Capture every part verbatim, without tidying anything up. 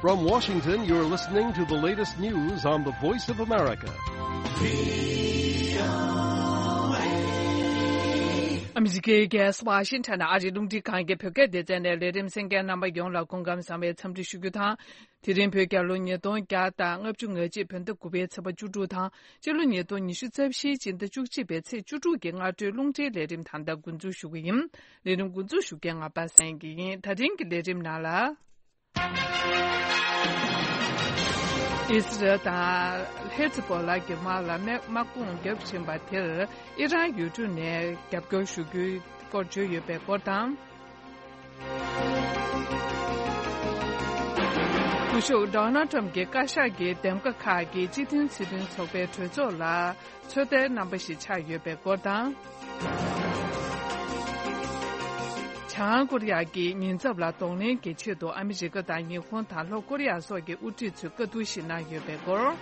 From Washington, you're listening to the latest news on the Voice of America. ཨ་མི་རི་ཀའི་རྒྱལ་ས་ཝ་ཤིང་ཊོན་ནས་ཨ་རིའི་རླུང་འཕྲིན་ཁང་གི་བོད་སྐད་སྡེ་ཚན་ནས་ལས་རིམ་གསན་མཁན་རྣམ་པ་ཡོངས་ལ་སྐུ་ཁམས་བཟང་བའི་འཚམས་འདྲི་ཞུ་རྒྱུ་དང་། དེ་རིང་བོད་རྒྱལ་ལོ་ཉིས་སྟོང་བརྒྱ་དང་ལྔ་བཅུ་ང་གཅིག་བོད་ཟླ་དགུ་པའི་ཚེས་པ་བཅུ་དྲུག་དང་། སྤྱི་ལོ་ཉིས་སྟོང་ཉི་ཤུ་རྩ་བཞིའི་སྤྱི་ཟླ་བཅུ་གཅིག་པའི་ཚེས་བཅུ་དྲུག་གི་སྔ་དྲོའི་རླུང་འཕྲིན་ལས་རིམ་ད་ལྟ་འགོ་འཛུགས་ཞུ་གི་ཡིན། ལས་རིམ་འགོ་འཛུགས་ཞུ་མཁན་ང་པ་སངས་སྐྱིད་ཡིན། ད་རིང་གི་ལས་རིམ་ནང་ལ། ཨི་སི་རལ་དང་ཧེ་ཛི་བྷོ་ལ་གྱི་དམག་ལ་དམག་དམག་དཔུང་བརྒྱབ་བཞིན་པ་དེར་ཨི་རན་ཡུལ་གྲུ་ནས་རྒྱབ་སྐྱོར་ཞུ་རྒྱུའི་སྐོར་བརྗོད་ཡོད་པའི་སྐོར་དང་། སྐུ་ཞབས་ཌོ་ནལ་ཊམ་གྱི་བཀའ་ཤག་གིས་འདེམས་ཀ་ཁག་གི་སྤྱི་མཐུན་སྲིད་དོན་ཚོགས་པའི་གྲོས་ཚོགས་ལ་ཚོད་ལྟའི་རྣམ་པ་ཞིག་ཆགས་ཡོད་པའི་སྐོར་དང་། བྱང་ཀོ་རི་ཡ་གིས་ཉེན་ཚབས་ལ་གདོང་ལེན་གྱི་ཆེད་དུ་ཨ་མི་རི་ཀ་དང་ཉི་ཧོང་དང་ལྷོ་ཀོ་རི་ཡ་སོགས་ཀྱི་དབུ་ཁྲིད་ཚོས་བཀའ་བསྡུར་ཞིག་གནང་ཡོད་པའི་སྐོར།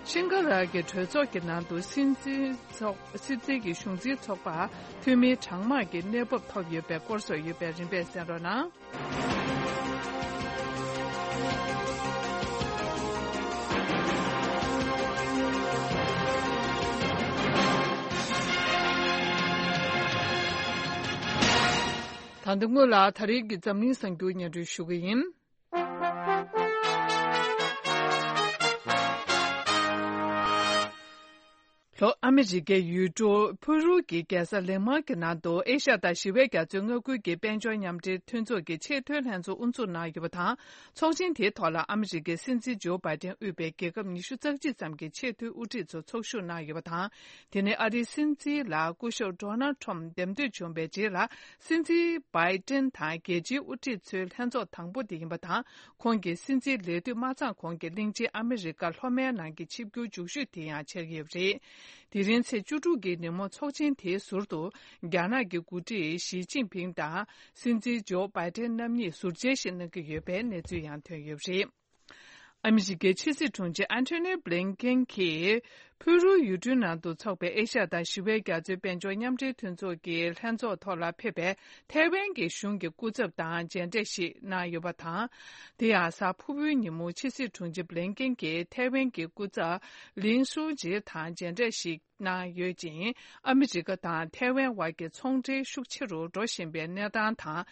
ཤིང་ག་ལ་གི་གྲོས་ཚོགས་ཀྱི་ནང་དུ་སྲིད་འཛིན་ཚོགས་སྲིད་འཛིན་གྱི་གཞུང་འཛིན་ཚོགས་པ་འཐུས་མི་གྲངས་མང་གི་གནས་བབ་ཐོབ་ཡོད་པའི་སྐོར་སོགས་ཡོད་པའི་རིམ་པས་གསན་རོགས་གནང་། ད་ལྟ་སྔོན་ལ་ད་རེས་ཀྱི་འཛམ་གླིང་གསར་འགྱུར་སྙན་སྒྲོན་ཞུ་གི་ཡིན། ལྷོ་ཨ་མི་རི་ཀའི་ཡུལ་གྲུ་ཕུ་རུ་གི་རྒྱལ་ས་ལིང་མ་གི་ནང་དུ་ཨེ་ཤ་ཡ་དང་ཞི་བའི་རྒྱ་མཚོའི་མངའ་ཁུལ་གྱི་དཔལ་འབྱོར་མཉམ་འབྲེལ་མཐུན་ཚོགས་ཀྱི་ཆེས་མཐོའི་ལྷན་ཚོགས་དབུ་འཛུགས་གནང་ཡོད་པ་དང་། ཚོགས་ཆེན་དེའི་ཐོག་ལ་ཨ་མི་རི་ཀའི་སྲིད་འཛིན་ཇོ་བྷའི་ཏན་དབུས་པའི་རྒྱལ་ཁབ་ཉི་ཤུ་རྩ་གཅིག་ཙམ་གྱི་ཆེས་མཐོའི་དབུ་ཁྲིད་ཚོ་ཚོགས་ཞུགས་གནང་ཡོད་པ་དང་། དེ་ནས་ཨ་རིའི་སྲིད་འཛིན་ལ་སྐུ་ཞབས་ཌོ་ནལ་ཁྲོམ་འདེམས་ཐོན་བྱུང་བའི་རྗེས་ལ། སྲིད་འཛིན་བྷའི་ཏན་དང་རྒྱལ་སྤྱིའི་དབུ་ཁྲིད་ཚོའི་ལྷན་ཚོགས་དང་པོ་དེ་ཡིན་པ་དང་། ཁོང་གིས་སྲིད་འཛིན་ལས་དུས་མ་ཚང་གོང་གི་གླིང་ཆེན་ཨ་མི་རི་ཀ་ལྷོ་མའི་ནང་གི་ཆིབས་བསྒྱུར་མཇུག་ཤོས་དེ་ཡང་ཆགས་ཀྱི་ཡོད་པ་རེད། དེ་རིང་ཚེས་བཅུ་དྲུག་གི་ཉིན་མོ་ཚོགས་ཆེན་དེའི་ཟུར་དུ། རྒྱ་ནག་གི་འགོ་ཁྲིད་ཞི་ཅིན་ཕིང་དང་སྲིད་འཛིན་ཇོ་བྷའི་ཏན་རྣམ་གཉིས་ཟུར་མཇལ་ཞིག་གནང་གི་ཡོད་པའི་གནས་ཚུལ་ཡང་ཐོན་ཡོད་པ་རེད། ཨ་མི་རི་ཀའི་ཕྱི་སྲིད་དྲུང་ཆེ་ཨན་ཐོ་ནི་བྷི་ལིན་ཀེན་གྱིས། ཕུ་རུའི་ཡུལ་གྲུའི་ནང་དུ་འཚོགས་པའི་ཨེ་ཤ་ཡ་དང་ཞི་བའི་རྒྱ་མཚོའི་དཔལ་འབྱོར་མཉམ་འབྲེལ་མཐུན་ཚོགས་ཀྱི་ལྷན་ཚོགས་ཐོག་ལ་ཕེབས་པའི་ཐའེ་ཝན་གྱི་གཞུང་གི་སྐུ་ཚབ་དང་མཇལ་འཕྲད་ཞིག་གནང་ཡོད་པ་དང་། དེ་ཡང་གཟའ་ཕུར་བུའི་ཉིན་མོ་ཕྱི་སྲིད་དྲུང་ཆེ་བྷི་ལིན་ཀེན་གྱིས་ཐའེ་ཝན་གྱི་སྐུ་ཚབ་ལིན་ཧྲུའུ་ཅི་དང་མཇལ་འཕྲད་ཞིག་གནང་ཡོད་ཅིང་། ཨ་མི་རི་ཀ་དང་ཐའེ་ཝན་བར་གྱི་ཚོང་འབྲེལ་ཤུགས་ཆེ་རུ་འགྲོ་བཞིན་པའི་གནས་སྟངས་དང་།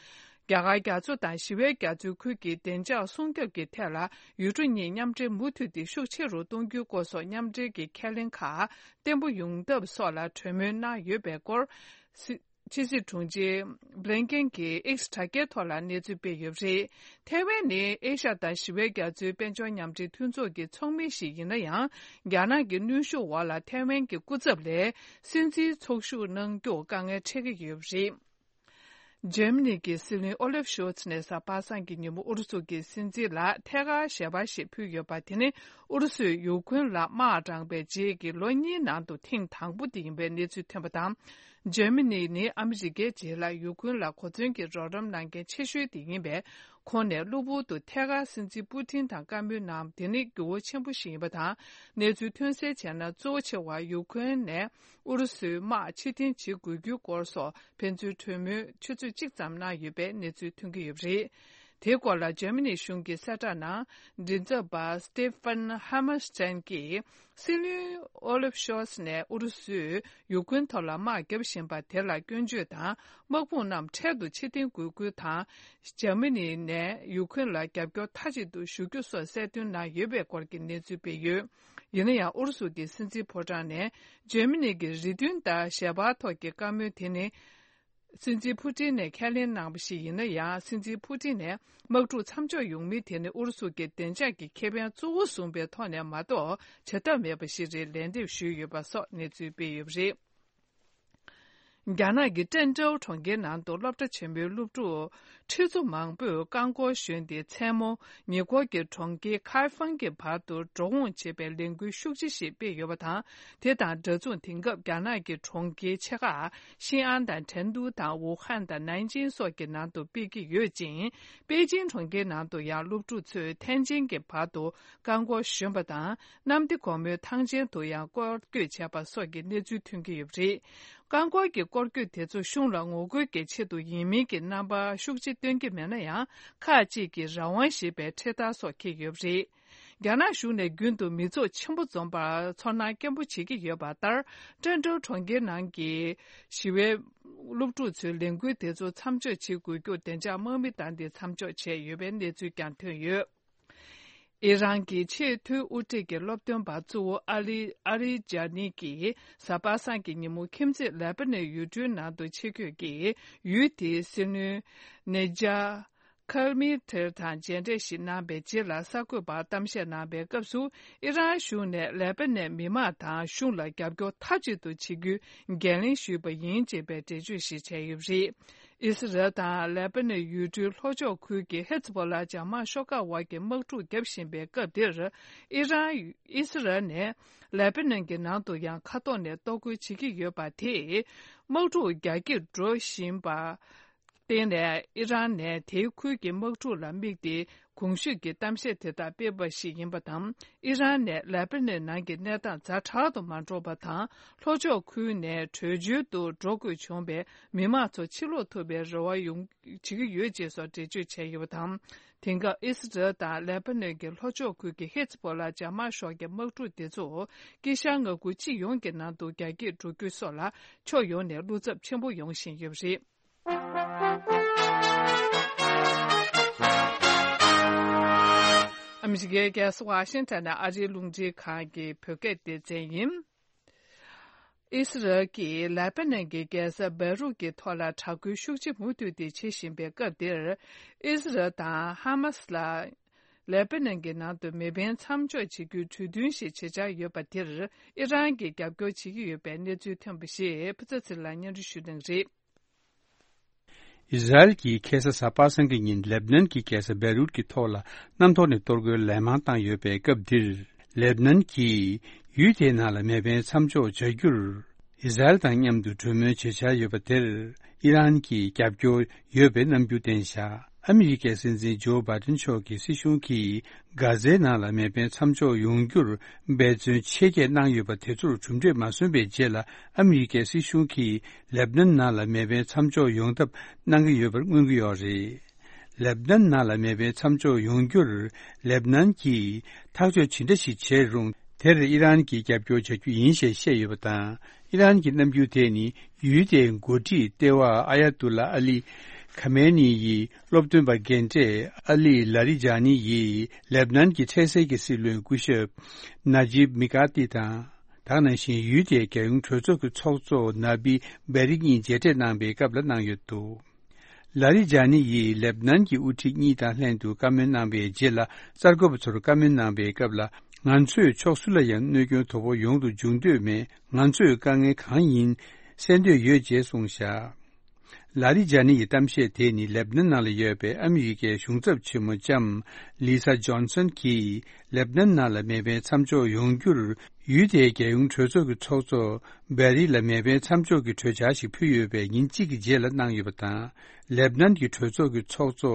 རྒྱ་གར་རྒྱ་མཚོ་དང་ཞི་བའི་རྒྱ་མཚོའི་ཁུལ་གྱི་བདེ་འཇགས་སྲུང་སྐྱོབ་ཀྱི་ཐད་ལ་ཡུལ་གྲུ་གཉིས་མཉམ་འབྲེལ་མུ་མཐུད་དེ་ཤུགས་ཆེ་རུ་གཏོང་རྒྱུའི་སྐོར་སོགས་མཉམ་འབྲེལ་གྱི་ཁས་ལེན་ཁག་བརྟན་པོ་ཡོང་ཐབས་སོགས་ལ་གྲོས་མོལ་གནང་ཡོད་པའི་སྐོར། སྲིད་ཕྱི་སྲིད་དྲུང་ཆེ་བྷི་ལིན་ཀེན་གྱིས་ཨེགས་དྲ་རྒྱའི་ཐོག་ལ་གནས་ཚུལ་སྤེལ་ཡོད་པ་རེད། ཐའེ་ཝན་ནི་ཨེ་ཤ་ཡ་དང་ཞི་བའི་རྒྱ་མཚོའི་དཔལ་འབྱོར་མཉམ་འབྲེལ་མཐུན་ཚོགས་ཀྱི་ཚོགས་མི་ཞིག་ཡིན་ན་ཡང་། རྒྱ་ནག་གི་གནོན་ཤུགས་འོག་ལ་ཐའེ་ཝན་གྱི་སྐུ་ཚབ་ལས་སྲིད་འཛིན་ཚོགས་ཞུགས་གནང་རྒྱུར་དཀའ་ངལ་འཕྲད་ཀྱི་ཡོད་པ་རེད། འཇར་མ་ནི་གི་སྲིད་བློན་ཨོ་ལེབ་ཤོལ་ཚ་ནས་གཟའ་པ་སངས་ཀྱི་ཉིན་མོ་ཨུ་རུ་སུ་གི་སྲིད་འཛིན་ལ་ཐད་ཀར་ཞལ་པར་ཞིག་ཕུལ་ཡོད་པ། དེ་ནི་ཨུ་རུ་སུས་ཡུ་ཁུན་ལ་དམག་དྲངས་པའི་རྗེས་ཀྱི་ལོ་གཉིས་ནང་དུ་ཐེངས་དང་པོ་དེ་ཡིན་པའི་གནས་ཚུལ་ཐོན་པ་དང་། འཇར་མ་ནི་ནི་ཨ་མི་རི་ཀའི་རྗེས་ལ་ཡུ་ཁུན་ལ་གོ་མཚོན་གྱི་རོགས་རམ་གནང་མཁན་ཆེ་ཤོས་དེ་ཡིན་པས། ཁོང་ནས་གློ་བུར་དུ་ཐད་ཀར་སྲིད་འཛིན་པུ་ཏིན་དང་བཀའ་མོལ་གནང་། དེ་ནི་འགྱུར་བ་ཆེན་པོ་ཞིག་ཡིན་པ་དང་། གནས་ཚུལ་ཐོན་གསལ་བྱས་ན། གཙོ་ཆེ་བ་ཡུ་ཁུན་ནས་ཨུ་རུ་སུའི་དམག་ཕྱིར་འཐེན་བྱེད་དགོས་རྒྱུའི་སྐོར་སོགས་ཕན་ཚུན་གྲོས་མོལ་ཆུ་ཚོད་གཅིག་ཙམ་གནང་ཡོད་པའི་གནས་ཚུལ་ཐོན་གྱི་ཡོད་པ་རེད། དེའི་སྐོར་ལ་འཇར་མ་ནི་གཞུང་གི་གསལ་བསྒྲགས་ནང་། མགྲིན་ཚབ་པ་སྟེ་ཧྥན་ཧ་མར་སྟན་གྱིས། སྲིད་བློན་ཨོ་ལེབ་ཤོལ་ཚ་ནས་ཨུ་རུ་སུས་ཡུ་ཁུན་ཐོག་ལ་དམག་བརྒྱབ་བཞིན་པ་དེ་ལ་སྐྱོན་བརྗོད་དང་། དམག་དཔུང་རྣམས་འཕྲལ་དུ་ཕྱིར་འཐེན་དགོས་སྐུལ་དང་། འཇར་མ་ནི་ནས་ཡུ་ཁུན་ལ་རྒྱབ་སྐྱོར་མཐའ་གཅིག་ཏུ་ཞུ་རྒྱུ་སོགས་གསལ་སྟོན་གནང་ཡོད་པའི་སྐོར་གྱི་གནས་ཚུལ་སྤེལ་ཡོད། ཡིན་ན་ཡང་། ཨུ་རུ་སུ་གྱི་སྲིད་འཛིན་ཕོ་བྲང་ནས་འཇར་མ་ནི་གི་རེ་འདུན་ལྟར་ཞལ་པར་ཐོག་གི་བཀའ་མོལ་དེ་ནི། སྲིད་འཛིན་ཕུ་ཏིན་ནས་ཁས་ལེན་གནང་བ་ཞིག་ཡིན་ན་ཡང་། སྲིད་འཛིན་ཕུ་ཏིན་ནས་དམག་འཁྲུག་མཚམས་འཇོག་ཡོང་མིན་དེ་ནི་ཨུ་རུ་སུ་གི་བདེ་འཇགས་ཀྱི་ཁེ་ཕན་གཙོ་བོ་བཟུང་པའི་ཐོག་ནས་མ་གཏོགས་བྱེད་ཐབས་མེད་པ་ཞིག་རེད། ལན་འདེབས་ཞུས་ཡོད་པ་སོགས་གནས་ཚུལ་སྤེལ་ཡོད་པ་རེད། རྒྱ་ནག་གི་ཀྲེན་ཀྲོའུ་གྲོང་ཁྱེར་ནང་དུ་སློབ་གྲྭ་ཆེན་མོའི་སློབ་ཕྲུག་ཁྲི་ཚོ་མང་པོས་རྐང་འཁོར་ཞོན་ཏེ། མཚན་མོ་ཉེ་འཁོར་གྱི་གྲོང་ཁྱེར་ཁའེ་ཧྥང་གི་བར་དུ་འགྲོ་འོང་བྱེད་པའི་ལས་འགུལ་ཤུགས་ཆེ་ཞིག་སྤེལ་ཡོད་པ་དང་། དེ་དང་འདྲ་མཚུངས། དེང་སྐབས་རྒྱ་ནག་གི་གྲོང་ཁྱེར་ཆེ་ཁག་ཤིན་ཨན་དང་ཁྲེང་ཏུའུ་དང་ཝུ་ཧན་དང་ནན་ཅིང་སོགས་ཀྱི་ནང་དུ་སྤེལ་གྱི་ཡོད་ཅིང་། པེ་ཅིང་གྲོང་ཁྱེར་ནང་དུ་ཡང་སློབ་ཕྲུག་ཚོས་ཐེན་ཅིན་གྱི་བར་དུ་རྐང་འཁོར་ཞོན་པ་དང་། གནམ་བདེ་སྒོ་མོའི་ཐང་ཆེན་དུ་ཡང་སྐོར་སྐྱོད་བྱས་པ་སོགས་ཀྱི་གནས་ཚུལ་ཐོན་གྱི་ཡོད་པ་རེད། རྐང་འཁོར་གྱི་སྐོར་སྐྱོད་དེ་ཚོ་གཞུང་ལ་ངོ་རྒོལ་གྱི་ཆེད་དུ་ཡིན་མིན་གྱི་རྣམ་པ་ཤུགས་ཆེ་སྟོན་གྱི་མེད་ན་ཡང་། ཁག་ཅིག་གིས་རང་དབང་ཞེས་པའི་འཕྲེད་དར་སོགས་འཁྱེར་ཡོད་པ་རེད། རྒྱ་ནག་གཞུང་ནས་རྒྱུན་དུ་མི་ཚོགས་ཆེན་པོ་འཛོམས་པར་ཚོར་སྣང་སྐྱེན་པོ་བྱེད་ཀྱི་ཡོད་པ་ལྟར། ཀྲེན་ཀྲོའུ་གྲོང་ཁྱེར་ནང་གི་ཞི་བའི་སློབ་ཕྲུག་ཚོའི་ལས་འགུལ་དེ་ཚོ་མཚམས་འཇོག་བྱེད་དགོས་རྒྱུར་བདེ་འཇགས་དམག་མི་དང་དེ་མཚམས་འཇོག་བྱས་ཡོད་པའི་གནས་ཚུལ་ཀྱང་ཐོན་ཡོད། ཨི་རན་གྱི་ཆེས་མཐོའི་དབུ་ཁྲིད་ཀྱི་སློབ་སྟོན་པ་གཙོ་བོ་ཨ་ལི་ཨ་རི་ཇཱ་ནི་གིས་གཟའ་པ་སངས་ཀྱི་ཉིན་མོ་ཁྱིམ་མཚེས་ལེ་པ་ནོན་ཡུལ་གྲུའི་ནང་དུ་ཆེད་བསྐྱོད་ཀྱིས་ཡུལ་དེའི་སྲིད་བློན་ནེ་ཇཱ་ཁལ་མི་ཐེར་དང་མཇལ་འཕྲད་ཞིག་གནང་བའི་རྗེས་ལ། གསར་འགོད་པར་གཏམ་བཤད་གནང་བའི་སྐབས་སུ། ཨི་རན་གཞུང་ནས་ལེ་པ་ནོན་མི་མང་དང་གཞུང་ལ་རྒྱབ་སྐྱོར་མཐའ་གཅིག་ཏུ་བྱེད་རྒྱུའི་འགན་ལེན་ཞུས་པ་ཡིན་ཅེས་པའི་འགྲེལ་བརྗོད་ཞིག་བྱས་ཡོད་པ་རེད། ཨི་སི་རལ་དང་ལེ་པ་ནོན་ཡུལ་གྲུའི་ལྷོ་ཕྱོགས་ཁུལ་གྱི་ཧེ་ཛ་བྷོ་ལ་འཇབ་དམག་ཤོག་ཁག་དབར་གྱི་དམག་འཁྲུག་བརྒྱབ་བཞིན་པའི་སྐབས་འདིར། ཨི་རན། ཨི་སི་རལ་ནས་ལེ་པ་ནོན་གྱི་ནང་དུ་ཡང་མཁའ་ཐོག་ནས་གཏོར་རྒོལ་བྱེད་ཀྱི་ཡོད་པ་དེས་དམག་འཁྲུག་རྒྱ་སྐྱེད་འགྲོ་བཞིན་པ། བརྟེན་ནས་ཨི་རན་ནས་དེའི་ཁུལ་གྱི་དམག་འཁྲུག་ལ་དམིགས་ཏེ་གོང་ཞུས་ཀྱི་གཏམ་བཤད་དེ་དག་སྤེལ་བ་ཞིག་ཡིན་པ་དང་། ཨི་རན་ནས་ལེ་པ་ནོན་ནང་གི་གནས་སྟངས་ཛ་དྲག་ཏུ་མ་འགྲོ་བ་དང་། ལྷོ་ཕྱོགས་ཁུལ་ནས་བྲོས་བྱོལ་དུ་འགྲོ་དགོས་བྱུང་བའི་མི་མང་ཚོ་ཕྱིར་ལོག་ཐུབ་པའི་རེ་བ་ཡོང་བྱེད་ཀྱི་ཡོད་ཅེས་སོགས་འགྲེལ་བརྗོད་བྱས་ཡོད་པ་དང་། དེང་སྐབས་ཨི་སི་རལ་དང་ལེ་པ་ནོན་གྱི་ལྷོ་ཕྱོགས་ཁུལ་གྱི་ཧེ་ཛ་བྷོ་ལ་འཇབ་དམག་ཤོག་གི་དམག་འཁྲུག་དེ་ཚོ་དཀྱིལ་ཤར་མངའ་ཁུལ་སྤྱི་ཡོངས་ཀྱི་ནང་དུ་རྒྱ་སྐྱེད་འགྲོ་རྒྱུ་སོགས་ལ་ཕྱོགས་ཡོངས་ནས་བློ་འཚབ་ཆེན་པོ་ཡོང་བཞིན་ཡོད་པ་རེད། ཨ་མི་རི་ཀའི་རྒྱལ་ས་ཝ་ཤིང་ཊོན་ནས་ཨ་རིའི་རླུང་འཕྲིན་ཁང་གི་བོད་སྐད་སྡེ་ཚན་ཡིན། ཨི་སི་རལ་གྱིས་ལེ་པ་ནན་གྱི་རྒྱལ་ས་བེ་རུད་ཀྱི་ཐོག་ལ་དྲག་རྒོལ་ཤུགས་ཆེ་མུ་མཐུད་དེ་བྱེད་བཞིན་པའི་སྐབས་འདིར། ཨི་སི་རལ་དང་ཧ་མ་སི་ལ་ལེ་པ་ནན་གྱི་ནང་དུ་མེ་འཕེན་མཚམས་འཇོག་བྱེད་རྒྱུའི་གྲོས་མཐུན་ཞིག་བྱེད་འཆར་ཡོད་པ་དེར་ཨི་རན་གྱིས་རྒྱབ་སྐྱོར་བྱེད་ཀྱི་ཡོད་པའི་གནས་ཚུལ་ཐོན་པ་ཞིག་ཕུ་ཚ་ཚེ་རིང་ལགས་སྙན་སྒྲོན་ཞུ་གནང་གི་རེད། ཨི་ཟ་རེལ་གྱིས་ཁ་སང་གཟའ་པ་སངས་ཀྱི་ཉིན་ལེབ་ནན་གྱི་རྒྱལ་ས་བེ་རུད་ཀྱི་ཐོག་ལ་གནམ་ཐོག་ནས་གཏོར་རྒོལ་ལན་མང་བཏང་ཡོད་པའི་སྐབས་འདིར། ལེབ་ནན་གྱིས་ཡུལ་དེའི་ནང་ལ་མེ་འཕེན་མཚམས་འཇོག་བྱ་རྒྱུར་ཨི་ཟ་རེལ་དང་མཉམ་དུ་གྲོས་མོལ་བྱེད་འཆར་ཡོད་པ་དེར་ཨི་རན་གྱིས་རྒྱབ་སྐྱོར་ཡོད་པའི་རྣམ་འགྱུར་བསྟན་བཞག་ཨ་མི་རི་ཀའི་སྲིད་འཛིན་ཇོ་བྷའི་ཏིན་མཆོག་གི་སྲིད་གཞུང་གིས། གྷ་ཛའི་ནང་ལ་མེ་འཕེན་མཚམས་འཇོག་ཡོང་རྒྱུར་འབད་བརྩོན་ཆེ་བསྐྱེད་གནང་ཡོད་པ་དེ་ཚོར་གྲུབ་འབྲས་མ་སོན་པའི་རྗེས་ལ་ཨ་མི་རི་ཀའི་སྲིད་གཞུང་གིས་ལེབ་ནན་ནང་ལ་མེ་འཕེན་མཚམས་འཇོག་ཡོང་ཐབས་གནང་གི་ཡོད་པར་མངོན་གྱི་ཡོད་རེད། ལེབ་ནན་ནང་ལ་མེ་འཕེན་མཚམས་འཇོག་ཡོང་རྒྱུར་ལེབ་ནན་གྱིས་ཐག་གཅོད་ཇི་འདྲ་ཞིག་བྱས་རུང་དེར་ཨི་རན་གྱིས་རྒྱབ་སྐྱོར་བྱ་རྒྱུ་ཡིན་ཞེས་བཤད་ཡོད་པ་དང་། ཨི་རན་གྱི་རྣམ་འགྱུར་དེ་ནི་ཡུལ་དེའི་འགོ་ཁྲིད་ལྟེ་བ་ཨ་ཡ་ཏུ་ལ་ཨ་ལི་ཁ་མེ་ནི་ཡི་སློབ་སྟོན་པ་རྒན་གྲས་ཨ་ལི་ལ་རི་ཇཱ་ནི་ཡིས་ལེབ་ནན་གྱི་འཕྲལ་སེལ་གྱི་སྲིད་བློན་སྐུ་ཞབས་ན་ཇིབ་མི་ཀ་ཏི་དང་། ད་ག་ནང་བཞིན་ཡུལ་དེའི་རྒྱལ་ཡོངས་གྲོས་ཚོགས་ཀྱི་ཚོགས་གཙོ་ན་བི་བེ་རི་གཉིས་མཇལ་འཕྲད་གནང་པའི་སྐབས་ལ་གནང་ཡོད་འདུག་ལ་རི་ཇཱ་ནི་ཡིས་ལེབ་ནན་གྱི་དབུ་ཁྲིད་གཉིས་དང་ལྷན་དུ་བཀའ་མོལ་གནང་བའི་རྗེས་ལ་གསར་འགོད་པ་ཚོར་བཀའ་མོལ་གནང་བའི་སྐབས་ལ། ང་ཚོས་ཕྱོགས་སུ་ལ་ཡང་གནོད་སྐྱོན་དོ་ཕོག་ཡོང་དུ་འཇུག་འདོད་མེད། ང་ཚོས་དཀའ་ངལ་གང་ཡིན་སེལ་འདོད་ཡོད་ཅེས་གསུངས་བཞག་ལ་རི་ཇཱ་ནི་ཡི་གཏམ་བཤད་དེ་ནི་ལེབ་ནན་ནང་ལ་ཡོད་པའི་ཨ་མི་རི་ཀའི་གཞུང་ཚབ་ཆེན་མོ་ལྕམ་ལི་ས་ཇོན་སན་གྱིས་ལེབ་ནན་ནང་ལ་མེ་འཕེན་མཚམས་འཇོག་ཡོང་རྒྱུར་ཡུལ་དེའི་རྒྱལ་ཡོངས་གྲོས་ཚོགས་ཀྱི་ཚོགས་གཙོ་བེ་རི་ལ་མེ་འཕེན་མཚམས་འཇོག་གི་གྲོས་འཆར་ཞིག་ཕུལ་ཡོད་པའི་ཉིན་གཅིག་གི་རྗེས་ལ་གནང་ཡོད་པ་དང་། ལེབ་ནན་གྱི་གྲོས་ཚོགས་ཀྱི་ཚོགས་གཙོ་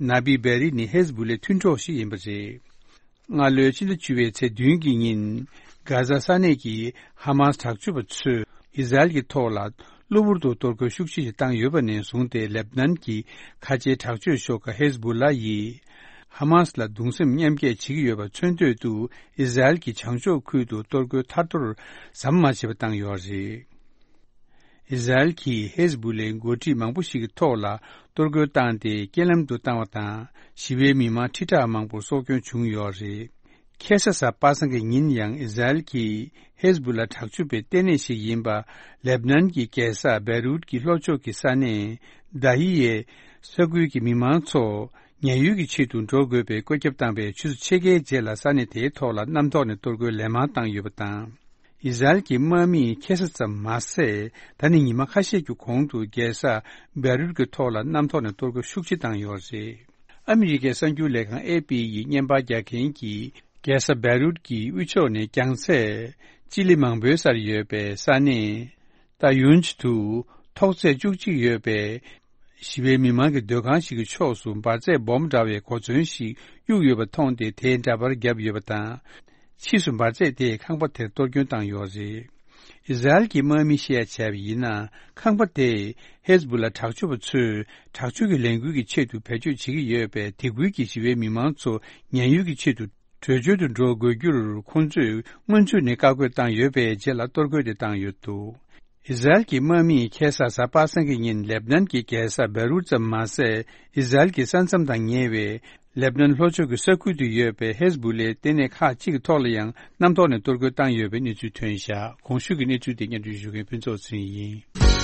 ན་བི་བེ་རི་ནི་ཧེ་ཛ་བྷུ་ལའི་མཐུན་གྲོགས་ཤིག་ཡིན་པ་རེད། སྔ་ལོའི་ཕྱི་ཟླ་བཅུ་པའི་ཚེས་བདུན་གྱི་ཉིན། གྷ་ཛ་ས་གནས་ཀྱི་ཧ་མཱས་དྲག་སྤྱོད་པ་ཚོས་ཨི་ཟ་རེལ་གྱི་ཐོག་ལ་གློ་བུར་དུ་གཏོར་རྒོལ་ཤུགས་ཆེ་ཞིག་བཏང་ཡོད་པ་ནས་བཟུང་སྟེ། ལེབ་ནན་གྱི་ཁ་ཆེའི་དྲག་སྤྱོད་ཤོག་ཁག་ཧེ་ཛ་བྷུ་ལ་ཡིས་ཧ་མཱས་ལ་གདུང་སེམས་མཉམ་སྐྱེད་བྱེད་ཀྱི་ཡོད་པ་མཚོན་དོད་དུ། ཨི་ཟ་རེལ་གྱི་བྱང་ཕྱོགས་ཁུལ་དུ་གཏོར་རྒོལ་ཐར་ཐོར་ཟམ་མ་ཆད་པ་བཏང་ཡོད་རེད། ཨི་ཟ་རེལ་གྱིས་ཧེ་ཛ་བྷུ་ལའི་འགོ་ཁྲིད་མང་པོ་ཞིག་གི་ཐོག་ལ་གཏོར་རྒོལ་བཏང་སྟེ་རྐྱེན་ལམ་དུ་བཏང་བ་དང་། ཞི་བའི་མི་མང་ཁྲི་ཕྲག་མང་པོར་སྲོག་སྐྱོན་བྱུང་ཡོད་རེད། ཁ་སང་གཟའ་པ་སངས་ཀྱི་ཉིན་ཡང་ཨི་ཟ་རེལ་གྱིས་ཧེ་ཛ་བྷུ་ལ་དྲག་སྤྱོད་པའི་ལྟེ་གནས་ཤིག་ཡིན་པ་ལེབ་ནན་གྱི་རྒྱལ་ས་བེ་རུད་ཀྱི་ལྷོ་ཕྱོགས་ཀྱི་ས་གནས་དཱ་ཧི་ཡའི་ས་ཁུལ་གྱི་མི་མང་ཚོ་ཉེན་གཡོལ་གྱི་ཆེད་དུ་འགྲོ་དགོས་པའི་བཀོད་ཁྱབ་བཏང་བའི་ཆུ་ཚོད་ཕྱེད་ཀའི་རྗེས་ལ་ས་གནས་དེའི་ཐོག་ལ་གནམ་ཐོག་ནས་གཏོར་རྒོལ་ལན་མང་བཏང་ཡོད་པ་དང་། ཨི་ཟ་རེལ་གྱི་དམག་མིས་ཁ་སང་ཙམ་མ་ཟད། ད་ནི་ཉི་མ་ཁ་ཤས་ཀྱི་གོང་དུ་རྒྱལ་ས་བེ་རུད་ཀྱི་ཐོག་ལ་གནམ་ཐོག་ནས་གཏོར་རྒོལ་ཤུགས་ཆེ་བཏང་ཡོད་རེད། ཨ་མི་རི་ཀའི་གསར་འགྱུར་ལས་ཁང་ཨེ་པི་ཡིས་བརྙན་པར་རྒྱག་མཁན་གྱིས་རྒྱལ་ས་བེ་རུད་ཀྱི་དབུས་ཕྱོགས་ནས་རྒྱང་ཚད་སྤྱི་ལེ་མང་པོའི་སར་ཡོད་པའི་ས་གནས་ཏཱ་ཡུན་ཇི་དུ་ཐོག་ཚད་བཅུ་གཅིག་ཡོད་པའི་ཞི་བའི་མི་མང་གི་སྡོད་ཁང་ཞིག་གི་ཕྱོགས་སུ་འབར་རྫས་སྦོམ་འདྲ་བའི་གོ་མཚོན་ཞིག་གཡུགས་ཡོད་པ་མཐོང་སྟེ། དེའི་འདྲ་པར་བརྒྱབ་ཡོད་པ་དང་། ཕྱིས་སུ་འབར་རྫས་དེས་ཁང་པ་དེར་གཏོར་སྐྱོན་བཏང་ཡོད་རེད། ཨི་ཟ་རེལ་གྱི་དམག་མིས་བཤད་བྱས་པ་ཡིན་ན། ཁང་པ་དེས་ཧེ་ཟ་བུ་ལ་དྲག་སྤྱོད་པ་ཚོས་དྲག་སྤྱོད་ཀྱི་ལས་འགུལ་གྱི་ཆེད་དུ་བེད་སྤྱོད་བྱེད་ཀྱི་ཡོད་པས། དེ་ཁུལ་གྱི་ཞི་བའི་མི་མང་ཚོ་ཉེན་གཡོལ་གྱི་ཆེད་དུ་བྲོས་བྱོལ་དུ་འགྲོ་དགོས་རྒྱུར། ཁོང་ཚོས་སྔོན་ཚུད་ནས་བཀའ་བཀོད་བཏང་ཡོད་པའི་རྗེས་ལ་གཏོར་རྒོལ་དེ་བཏང་ཡོད་འདུག་ཨི་ཟ་རེལ་གྱི་དམག་མིས་ཁ་སང་གཟའ་པ་སངས་ཀྱི་ཉིན་ལེབ་ནན་གྱི་རྒྱལ་ས་བེ་རུད་ཙམ་མ་ཟད། ཨི་ཟ་རེལ་གྱི་ས་མཚམས་དང་ཉེ་བའི་ལེབ་ནན་ལྷོ་ཕྱོགས་ཀྱི་ས་ཁུལ་དུ་ཡོད་པའི་ཧེ་ཟ་བུ་ལའི་ལྟེ་གནས་ཁག་ཅིག་གི་ཐོག་ལ་ཡང་གནམ་ཐོག་ནས་གཏོར་རྒོལ་བཏང་ཡོད་པའི་གནས་ཚུལ་ཐོན་བཞག་གོང་ཞུས་ཀྱི་གནས་ཚུལ་དེ་སྙན་སྒྲོན་ཞུ་མཁན་ཕུན་ཚོགས་ཚེ་རིང་ཡིན། ཨ་མི་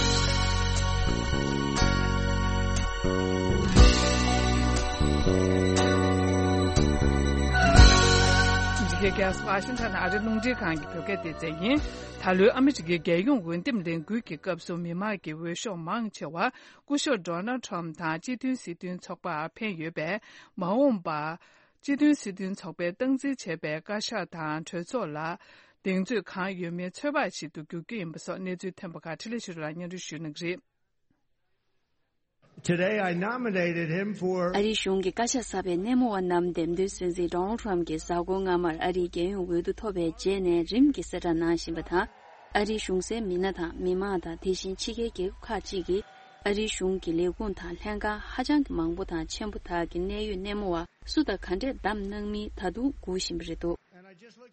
རི་ཀའི་རྒྱལ་ས་ཝ་ཤིང་ཊོན་ཨ་རིའི་རླུང་འཕྲིན་ཁང་གི་བོད་སྐད་སྡེ་ཚན་ཡིན། ད་ལོའི་ཨ་མི་རི་ཀའི་རྒྱལ་ཡོངས་འོས་འདེམས་ལས་འགུལ་གྱི་སྐབས་སུ་མི་མང་གི་འོས་ཤོག་མང་ཆེ་བ་སྐུ་ཞབས་ཌོ་ནལ་ཊམ་དང་སྤྱི་མཐུན་སྲིད་དོན་ཚོགས་པར་འཕེན་ཡོད་པས། མ་འོངས་པར་སྤྱི་མཐུན་སྲིད་དོན་ཚོགས་པས་སྟངས་འཛིན་བྱས་པའི་བཀའ་ཤག་དང་གྲོས་ཚོགས་ལ་གདེང་ཚོད་གང་ཡོད་མེད་ཚོད་དཔག་བྱེད་དུ་འཇུག་རྒྱུ་ཡིན་པ་སོགས་གནས་ཚུལ་ཐོན་པ་ཁག་འཕྲིན་ལས་ཆོས་སྒྲོན་ལགས་སྙན་སྒྲོན་ཞུ་གནང་གི་རེད། Today I nominated him for ཨ་རིའི་གཞུང་གི་བཀའ་ཤག་གསར་པའི་སྣེ་མོ་བ་རྣམས་འདེམས་ཐོན་སྲིད་འཛིན་ཌོ་ནལ་ཊམ་གྱིས་གཟའ་འཁོར་སྔ་མར་ཨ་རིའི་རྒྱལ་ཡོངས་འོས་བསྡུ་ཐོབ་པའི་རྗེས་ནས་རིམ་གྱིས་གསལ་བསྒྲགས་གནང་བཞིན་པ་དང་། ཨ་རིའི་གཞུང་སའི་མི་སྣ་དང་མི་མང་དང་དེ་བཞིན་ཕྱི་རྒྱལ་རྒྱལ་ཁབ་ཁག་ཅིག་གིས་ཨ་རིའི་གཞུང་གི་ལས་ཁུངས་དང་ལྷན་ཁང་ཧ་ཅང་གི་མང་པོ་དང་ཆེན་པོ་དག་གི་གནད་ཡོད་སྣེ་མོ་བ་སུ་དང་ག་འདྲས་བདམས་གནང་མིན་ད་དུང་སྒུག་བཞིན་པ་རེད་འདུག་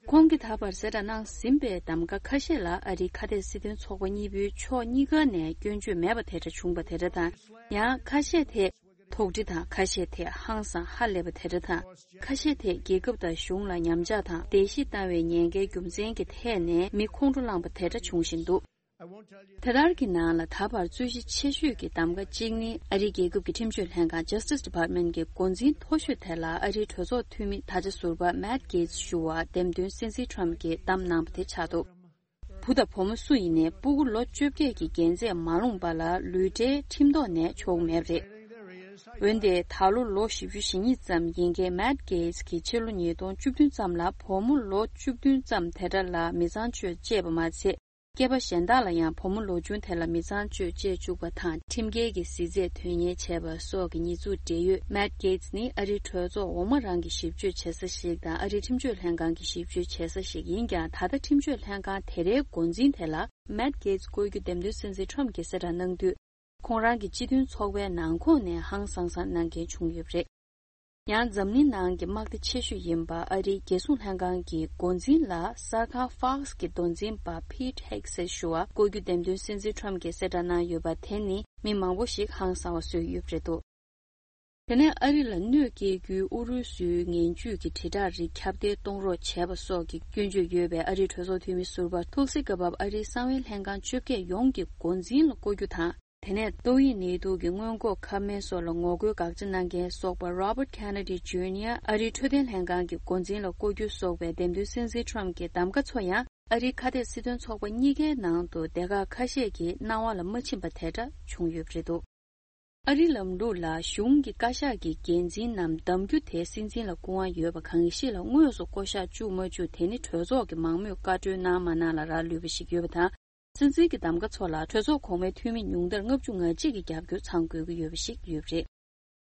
ཁོང་གིས་ད་བར་གསལ་བསྒྲགས་གནང་ཟིན་པའི་གདམ་ག་ཁ་ཤས་ལ་ཨ་རིའི་ཁ་གཏད་སྲིད་དོན་ཚོགས་པ་གཉིས་པོའི་ཕྱོགས་གཉིས་ཀ་ནས་སྐྱོན་བརྗོད་མེད་པ་དེ་འདྲ་བྱུང་བ་དེ་འདྲ་དང་། ཡང་ཁ་ཤས་དེ་དོགས་འདྲི་དང་ཁ་ཤས་དེ་ཧང་སང་ཧ་ལས་པ་དེ་འདྲ་དང་། ཁ་ཤས་དེ་རྒྱལ་ཁབ་དང་གཞུང་ལ་ཉམས་ཆག་དང་བརྡལ་བཤིག་བཏང་བའི་ཉེན་ཁའི་རྒྱུ་མཚན་གྱི་ཐད་ནས་མི་ཁོང་ཁྲོ་ལངས་པ་དེ་འདྲ་བྱུང་བཞིན་འདུག་དེ་ལྟར་གྱི་ནང་ལ་ད་བར་རྩོད་གཞི་ཆེ་ཤོས་ཀྱི་གདམ་ག་གཅིག་ནི་ཨ་རིའི་རྒྱལ་ཁབ་ཀྱི་ཁྲིམས་གཅོད་ལྷན་ཁང་Justice Department གྱི་འགོ་འཛིན་མཐོ་ཤོས་དེ་ལ་ཨ་རིའི་གྲོས་ཚོགས་འཐུས་མི་ད་ཆ་ཟུར་པ་Matt Gaetz ཞུ་བར་འདེམས་ཐོན་སྲིད་འཛིན་Trump གྱིས་བདམས་གནང་བ་དེ་ཆགས་འདུག་བུ་དང་བུ་མོ་སུ་ཡིན་ནའི་སྤུ་གུ་ལོ་བཅོ་བརྒྱད་ཀྱི་རྒྱན་རྩེས་མ་ལོངས་པ་ལ་ལུས་འབྲེལ་ཁྲིམས་ཐོག་ནས་ཆོག་མེད་པ་རེད། འོན་ཏེ་ད་ལོ་ལོ་བཞི་བཅུ་ཞེ་གཉིས་ཙམ་ཡིན་མཁན་Matt Gaetz གྱིས་ཕྱི་ལོ་ཉིས་སྟོང་བཅུ་བདུན་ཙམ་ལ་བུ་མོ་ལོ་བཅུ་བདུན་ཙམ་དེ་འདྲ་ལ་མི་ཚངས་སྤྱོད་སྤྱད་པ་མ་ཚད། སྐྱེས་པ་གཞན་དག་ལ་ཡང་བུ་མོ་ལོ་ཆུང་དེ་ལ་མི་ཚངས་སྤྱོད་བྱེད་བཅུག་པ་དང་ཁྲིམས་འགལ་གྱི་གཟི་རྫས་དོན་གཉེར་བྱས་པ་སོགས་ཀྱི་ཉེས་འཛུགས་འབྲེལ་ཡོད། Matt Gaetz ནི་ཨ་རིའི་གྲོས་ཚོགས་འོག་མ་རང་གི་ཞིབ་དཔྱོད་བྱེད་ས་ཞིག་དང་ཨ་རིའི་ཁྲིམས་གཅོད་ལྷན་ཁང་གི་ཞིབ་དཔྱོད་བྱེད་ས་ཞིག་ཡིན་ཀྱང་། ད་ལྟ་ཁྲིམས་གཅོད་ལྷན་ཁང་དེ་རའི་འགོ་འཛིན་དེ་ལ་Matt Gaetz བསྐོ་རྒྱུ་འདེམས་ཐོན་སྲིད་འཛིན་Trump གྱིས་གསལ་བསྒྲགས་གནང་དུས། ཁོང་རང་གི་སྤྱི་མཐུན་ཚོགས་པའི་ནང་ཁོངས་ནས་ཧང་སང་སང་གནང་མཁན་བྱུང་ཡོད་པ་རེད། ཡང་འཛམ་གླིང་ནང་གི་དམག་སྡེ་ཆེ་ཤོས་ཡིན་པ་ཨ་རིའི་རྒྱལ་སྲུང་ལྷན་ཁང་གི་འགོ་འཛིན་ལ་གསར་ཁང་Fox གི་མདོ་འཛིན་པ་Pete Hegseth ཞུ་བར་བསྐོ་རྒྱུ་འདེམས་ཐོན་སྲིད་འཛིན་Trump གྱིས་གསལ་བསྒྲགས་གནང་ཡོད་པ་དེ་ནི་མི་མང་པོ་ཞིག་ཧང་སང་བ་བཟོས་ཡོད་པ་རེད་འདུག་དེ་ནས་ཨ་རི་ལ་གནོད་སྐྱེལ་རྒྱུའི་ཨུ་རུ་སུའི་ངན་ཇུས་ཀྱི་དྲིལ་བསྒྲགས་རིགས་ཁྱབ་གདལ་གཏོང་རོགས་བྱས་པ་སོགས་ཀྱི་སྐྱོན་བརྗོད་ཡོད་པའི་ཨ་རིའི་གྲོས་ཚོགས་འཐུས་མི་ཟུར་པ་Tulsi Gabbard ཨ་རིའི་གསང་བའི་ལྷན་ཁང་བཅོ་བརྒྱད་ཡོངས་ཀྱི་འགོ་འཛིན་ལ་བསྐོ་རྒྱུ་དང་། དེ་ནས་ཏོག་དབྱིབས་ནད་དུག་གི་སྔོན་འགོག་ཁབ་སྨན་སོགས་ལ་ངོ་རྒོལ་དགག་བྱ་གནང་མཁན་སོགས་པ་Robert Kennedy Junior ཨ་རིའི་འཕྲོད་བསྟེན་ལྷན་ཁང་གི་འགོ་འཛིན་ལ་བསྐོ་རྒྱུ་སོགས་པའི་འདེམས་ཐོན་སྲིད་འཛིན་Trump གྱི་གདམ་ག་ཚོ་ཡང་ཨ་རིའི་ཁ་གཏད་སྲིད་དོན་ཚོགས་པ་གཉིས་ཀའི་ནང་དུ་སྡེ་ཁག་ཁ་ཤས་ཀྱི་སྣང་བ་ལ་མ་ཕྱིན་པ་དེ་འདྲ་བྱུང་ཡོད་པ་རེད་འདུག་ཨ་རིའི་ལམ་ལུགས་ལ་གཞུང་གི་བཀའ་ཤག་གི་འགན་འཛིན་རྣམས་གདམ་རྒྱུ་དེ་སྲིད་འཛིན་ལ་སྐུ་དབང་ཡོད་པ་གང་ཞིག་ལ་དངོས་སུ་བསྐོ་གཞག་བཅུག་མ་བཅུག་དེ་ནི་གྲོས་ཚོགས་ཀྱི་མང་མོས་བཀའ་འཁྲོལ་གནང་མ་གནང་ལ་རག་ལུས་པ་ཞིག་ཡོད་པ་དང་། སྲིད་འཛིན་གྱི་གདམ་ག་ཚོ་ལ་གྲོས་ཚོགས་གོང་མའི་འཐུས་མི་ཉུང་མཐར་ལྔ་བཅུ་ང་གཅིག་གི་རྒྱབ་སྐྱོར་ཚང་དགོས་ཀྱི་ཡོད་པ་ཞིག་ཡོད་པ་རེད།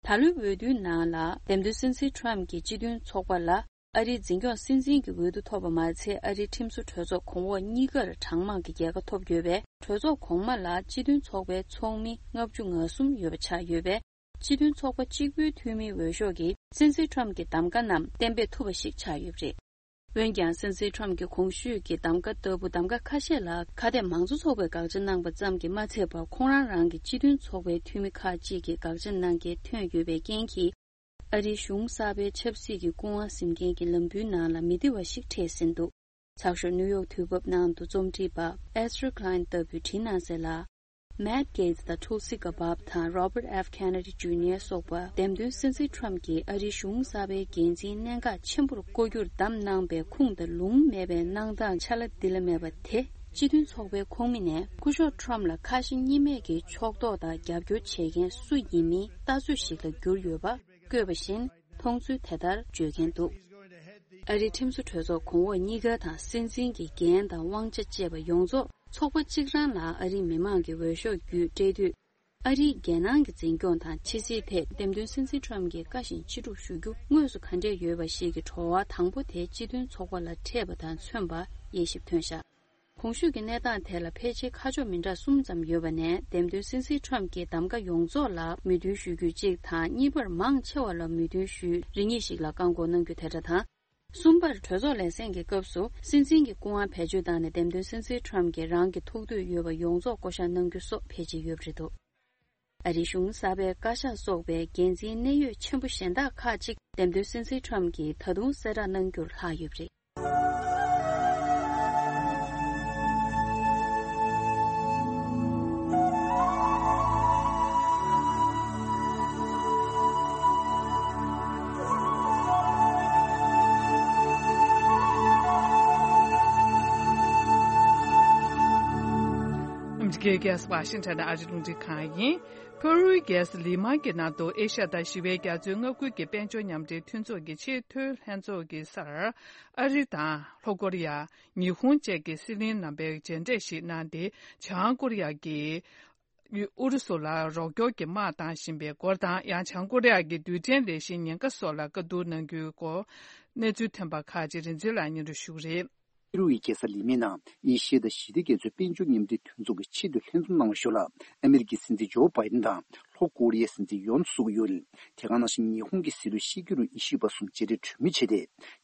ད་ལོའི་འོས་བསྡུའི་ནང་ལ་འདེམས་ཐོན་སྲིད་འཛིན་Trump གྱིས་སྤྱི་མཐུན་ཚོགས་པ་ལ་ཨ་རིའི་འཛིན་སྐྱོང་སྲིད་འཛིན་གྱི་འོས་བསྡུ་ཐོབ་པ་མ་ཚད། ཨ་རིའི་ཁྲིམས་བཟོ་གྲོས་ཚོགས་གོང་འོག་གཉིས་ཀར་གྲངས་མང་གི་རྒྱལ་ཁ་ཐོབ་ཡོད་པས། གྲོས་ཚོགས་གོང་མ་ལ་སྤྱི་མཐུན་ཚོགས་པའི་ཚོགས་མི་ལྔ་བཅུ་ང་གསུམ་ཡོད་པ་ཆགས་ཡོད་པས། སྤྱི་མཐུན་ཚོགས་པ་གཅིག་པུའི་འཐུས་མིའི་འོས་ཤོག་གིས་སྲིད་འཛིན་Trump གྱི་གདམ་ག་རྣམས་གཏན་འབེབས་ཐུབ་པ་ཞིག་ཆགས་ཡོད་པ་རེད། འོན་ཀྱང་། སྲིད་འཛིན་Trump གྱི་གོང་ཞུས་ཀྱི་གདམ་ག་ལྟ་བུ་གདམ་ག་ཁ་ཤས་ལ་ཁ་གཏད་མང་གཙོ་ཚོགས་པས་དགག་བྱ་གནང་པ་ཙམ་གྱིས་མ་ཚད་པར། ཁོང་རང་རང་གི་སྤྱི་མཐུན་ཚོགས་པའི་འཐུས་མི་ཁག་ཅིག་གིས་དགག་བྱ་གནང་མཁན་ཐོན་ཡོད་པའི་རྐྱེན་གྱིས། ཨ་རིའི་གཞུང་གསར་པའི་ཆབ་སྲིད་ཀྱི་སྐུ་དབང་ཟིན་མཁན་གྱི་ལམ་བུའི་ནང་ལ་མི་བདེ་བ་ཞིག་འཕྲད་ཟིན་འདུག་ཚགས་ཤོག་New York དུས་བབ་ནང་དུ་རྩོམ་སྒྲིག་པ་Ezra Klein ལྟ་བུས་བྲིས་གནང་གསལ་ལ། Matt Gaetz དང་Tulsi Gabbard དང་Robert F Kennedy Junior སོགས་པ་འདེམས་ཐོན་སྲིད་འཛིན་Trump གྱིས་ཨ་རིའི་གཞུང་གསར་པའི་འགན་འཛིན་གནད་འགག་ཆེན་པོར་བསྐོ་རྒྱུར་བདམས་གནང་པའི་ཁུངས་དང་ལུང་མེད་པའི་གནང་སྟངས་ཆ་ལ་འདི་ལ་མེད་པ་དེ། སྤྱི་མཐུན་ཚོགས་པའི་ཁོངས་མི་ནས་སྐུ་ཞབས་Trump ལ་ཁ་ཞེ་གཉིས་མེད་ཀྱི་ཕྱོགས་གཏོགས་དང་རྒྱབ་སྐྱོར་བྱེད་མཁན་སུ་ཡིན་མིན་ལྟ་ཚོད་ཞིག་ལ་གྱུར་ཡོད་པ། བཀོད་པ་བཞིན། མཐོང་ཚུལ་དེ་ལྟར་བརྗོད་མཁན་འདུག་ཨ་རིའི་ཁྲིམས་བཟོ་གྲོས་ཚོགས་གོང་འོག་གཉིས་ཀ་དང་སྲིད་འཛིན་གྱི་འགན་དང་དབང་ཆ་བཅས་པ་ཡོངས་རྫོགས་ཚོགས་པ་གཅིག་རང་ལ་ཨ་རིའི་མི་མང་གི་འོས་ཤོག་བརྒྱུད་སྤྲད་དུས། ཨ་རིའི་རྒྱལ་ནང་གི་འཛིན་སྐྱོང་དང་ཕྱི་སྲིད་ཐད་འདེམས་ཐོན་སྲིད་འཛིན་Trump གྱིས་བཀའ་བཞིན་ཅི་སྒྲུབ་ཞུ་རྒྱུ་དངོས་སུ་ག་འདྲས་ཡོད་པ་ཞིག་གི་བྲོ་བ་དང་པོ་དེ་སྤྱི་མཐུན་ཚོགས་པ་ལ་འཕྲད་པ་དང་མཚོན་པ་དབྱེ་ཞིབ་ཐོན་བཞག་གོང་ཞུས་ཀྱི་གནས་སྟངས་དེ་ལ་ཕལ་ཆེར་ཁ་ཕྱོགས་མི་འདྲ་གསུམ་ཙམ་ཡོད་པ་ནས། འདེམས་ཐོན་སྲིད་འཛིན་ཊམ་གྱིས་གདམ་ག་ཡོངས་རྫོགས་ལ་མོས་མཐུན་ཞུ་རྒྱུ་གཅིག་དང་། གཉིས་པར་མང་ཆེ་བ་ལ་མོས་མཐུན་ཞུ་རེ་གཉིས་ཤིག་ལ་བཀག་འགོག་གནང་རྒྱུ་དེ་འདྲ་དང་། གསུམ་པར་གྲོས་ཚོགས་ལས་ཟིན་གྱི་སྐབས་སུ་སྲིད་འཛིན་གྱི་སྐུ་དབང་བེད་སྤྱོད་བཏང་ནས། འདེམས་ཐོན་སྲིད་འཛིན་ཊམ་གྱིས་རང་གི་ཐུགས་འདོད་ཡོད་པ་ཡོངས་རྫོགས་བསྐོ་བཞག་གནང་རྒྱུ་སོགས་ཕལ་ཆེར་ཡོད་པ་རེད་འདུག་ཨ་རིའི་གཞུང་གསར་པའི་བཀའ་ཤག་སོགས་པའི་འགན་འཛིན་གནད་ཡོད་ཆེན་པོ་གཞན་དག་ཁག་ཅིག་འདེམས་ཐོན་སྲིད་འཛིན་ཊམ་གྱིས་ད་དུང་གསལ་བསྒྲགས་གནང་རྒྱུར་ལྷག་ཡོད་པ་རེད། ཨ་མི་རི་ཀའི་རྒྱལ་ས་ཝ་ཤིང་ཊོན་ནས་ཨ་རིའི་རླུང་འཕྲིན་ཁང་ཡིན། ཕ་རུའི་རྒྱལ་ས་ལི་མ་གི་ནང་དུ་ཨེ་ཤ་ཡ་དང་ཞི་བའི་རྒྱ་མཚོའི་མངའ་ཁུལ་གྱི་དཔལ་འབྱོར་མཉམ་འབྲེལ་མཐུན་ཚོགས་ཀྱི་ཆེས་མཐོའི་ལྷན་ཚོགས་ཀྱི་སར། ཨ་རི་དང་ལྷོ་ཀོ་རི་ཡ། ཉི་ཧོང་བཅས་ཀྱི་སྲིད་བློན་རྣམ་པས་མཇལ་འཕྲད་ཞིག་གནང་སྟེ། བྱང་ཀོ་རི་ཡ་གིས་ཨུ་རུ་སུ་ལ་རོགས་སྐྱོར་གྱི་དམག་བཏང་བཞིན་པའི་སྐོར་དང་། ཡང་བྱང་ཀོ་རི་ཡ་གི་རྡུལ་ཕྲན་ལས་གཞིའི་ཉེན་ཁ་སོགས་ལ་བཀའ་བསྡུར་གནང་རྒྱུའི་སྐོར། གནས་ཚུལ་ཐོན་པ་ཁག་ཅིག་རིན་འཛིན་ལགས་སྙན་སྒྲོན་ཞུ་གི་རེད། ཕ་རུའི་རྒྱལ་ས་ལི་མའི་ནང་ཨེ་ཤི་ཡ་དང་ཞི་བདེ་རྒྱ་མཚོའི་དཔལ་འབྱོར་མཉམ་འབྲེལ་མཐུན་ཚོགས་ཀྱི་ཆེས་མཐོའི་ལྷན་འཛོམས་གནང་བའི་ཞོར་ལ། ཨ་མི་རི་ཀའི་སྲིད་འཛིན་ཇོ་བྷའི་ཌེན་དང་ལྷོ་ཀོ་རི་ཡའི་སྲིད་འཛིན་ཡོན་སུག་ཡོལ། དེ་ག་ནང་བཞིན་ཉི་ཧོང་གི་སྲིད་བློན་ཤི་གི་རུ་ཨི་ཤི་བ་སོགས་མཇལ་འཕྲད་གྲོས་མོལ་བྱས་ཏེ།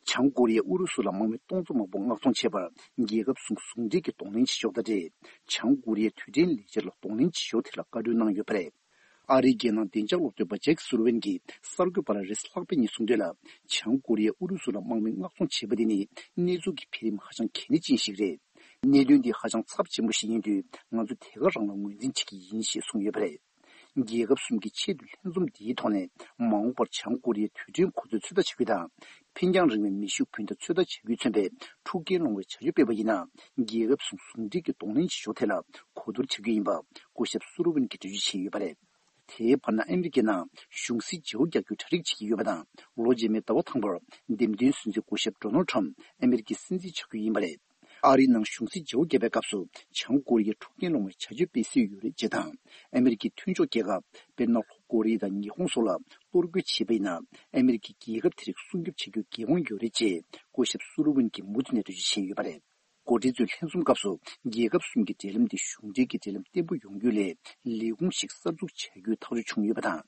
བྱང་ཀོ་རི་ཡས་ཨུ་རུ་སུ་ལ་དམག་མི་སྟོང་ཚོ་མང་པོ་མངགས་གཏོང་བྱས་པར་རྒྱལ་ཁབ་གསུམ་ཟུང་འབྲེལ་གྱིས་གདོང་ལེན་བྱེད་ཕྱོགས་དང་འབྲེལ། བྱང་ཀོ་རི་ཡའི་རྡུལ་ཕྲན་ལས་འཆར་ལ་གདོང་ལེན་བྱེད་ཕྱོགས་དེ་ལ་བཀའ་འཁྲོལ་གནང་ཡོད་པ་རེད། ཨ་རིའི་རྒྱལ་ནང་བདེ་འཇགས་སློབ་སྟོན་པ་ཇེཀ་སུ་ལི་ཝན་གྱིས་གསར་འགོད་པ་ལ་རེས་ལྷག་པའི་ཉིན་གསུངས་དོན་ལ། བྱང་ཀོ་རི་ཡས་ཨུ་རུ་སུ་ལ་དམག་མི་མངགས་གཏོང་བྱས་པ་དེ་ནི་གནས་ཚུལ་གྱི་འཕེལ་རིམ་ཧ་ཅང་གལ་གནད་ཅན་ཞིག་རེད། གནད་དོན་འདི་ཧ་ཅང་ཚབས་ཆེན་པོ་ཞིག་ཡིན་དུས། ང་ཚོ་དེ་ག་རང་ལ་ངོས་འཛིན་བྱེད་ཀྱི་ཡིན་ཞེས་གསུངས་ཡོད་པ་རེད། རྒྱལ་ཁབ་གསུམ་གྱི་ཆེས་མཐོའི་ལྷན་འཛོམས་འདིའི་ཐོག་ནས། མ་འོངས་པར་བྱང་ཀོ་རི་ཡའི་རྡུལ་ཕྲན་གོ་མཚོན་ཚོད་ལྟ་བྱ་རྒྱུ་དང་། འཕེན་རྒྱང་རིང་བའི་མེ་ཤུགས་འཕུར་མདའ་ཚོད་ལྟ་བྱ་རྒྱུས་མཚོན་པའི་འཁྲུག་རྐྱེན་སློང་བའི་བྱ་སྤྱོད་སྤེལ་བ་ཡིན་ན། རྒྱལ་ཁབ་གསུམ་ཟུང་འབྲེལ་གྱིས་གདོང་ལེན་བྱེད་ཕྱོགས་ཐད་ལ་གོ་བསྡུར་བྱ་རྒྱུ་ཡིན་པ། སྐུ་ཞབས་སུ་ལི་ཝན་གྱིས་འགྲེལ་བརྗོད་བྱས་ཡོད་པ་རེད། དེའི་བར་ན། ཨ་མི་རི་ཀའི་ནང་གཞུང་སྲིད་བརྗེ་པོ་རྒྱག་རྒྱུའི་གྲ་སྒྲིག་བྱེད་ཀྱི་ཡོད་པ་དང་། ལོ་རྗེས་མའི་ཟླ་བ་དང་པོར་འདེམས་ཐོན་སྲིད་འཛིན་སྐུ་ཞབས་ཌོ་ནལ་ཊམ་ཨ་མི་རི་ཀའི་སྲིད་འཛིན་ཆགས་རྒྱུ་ཡིན་པ་རེད། ཨ་རིའི་ནང་གཞུང་སྲིད་བརྗེ་པོ་བརྒྱབ་པའི་སྐབས་སུ། བྱང་ཀོ་རི་ཡས་འཁྲུག་རྐྱེན་སློང་བའི་བྱ་སྤྱོད་སྤེལ་སྲོལ་ཡོད་རེད་ཅེས་དང་། ཨ་མི་རི་ཀའི་མཐུན་ཕྱོགས་རྒྱལ་ཁབ། དཔེར་ན། ལྷོ་ཀོ་རི་ཡ་དང་ཉི་ཧོང་སོགས་ལ་གཏོར་རྒོལ་བྱས་པ་ཡིན་ན། ཨ་མི་རི་ཀས་རྒྱལ་ཁབ་དེ་རིགས་སྲུང་སྐྱོབ་བྱེད་རྒྱུར་འགན་དབང་ཡོད་རེད་ཅེས། སྐུ་ཞབས་སུ་ལི་ཝན་གྱིས་མུ་མཐུད་ནས་འགྲེལ་བརྗོད་བྱས་ཡོད་པ་རེད། འགོ་ཁྲིད་ཚོའི་ལྷན་འཛོམས་སྐབས་སུ། རྒྱལ་ཁབ་གསུམ་གྱི་འབྲེལ་ལམ་དེ་གཞུང་འབྲེལ་གྱི་འབྲེལ་ལམ་བརྟན་པོ་ཡོང་རྒྱུ་སླད། ལས་ཁུངས་ཤིག་གསར་འཛུགས་བྱ་རྒྱུའི་ཐག་གཅོད་བྱུང་ཡོད་པ་དང་།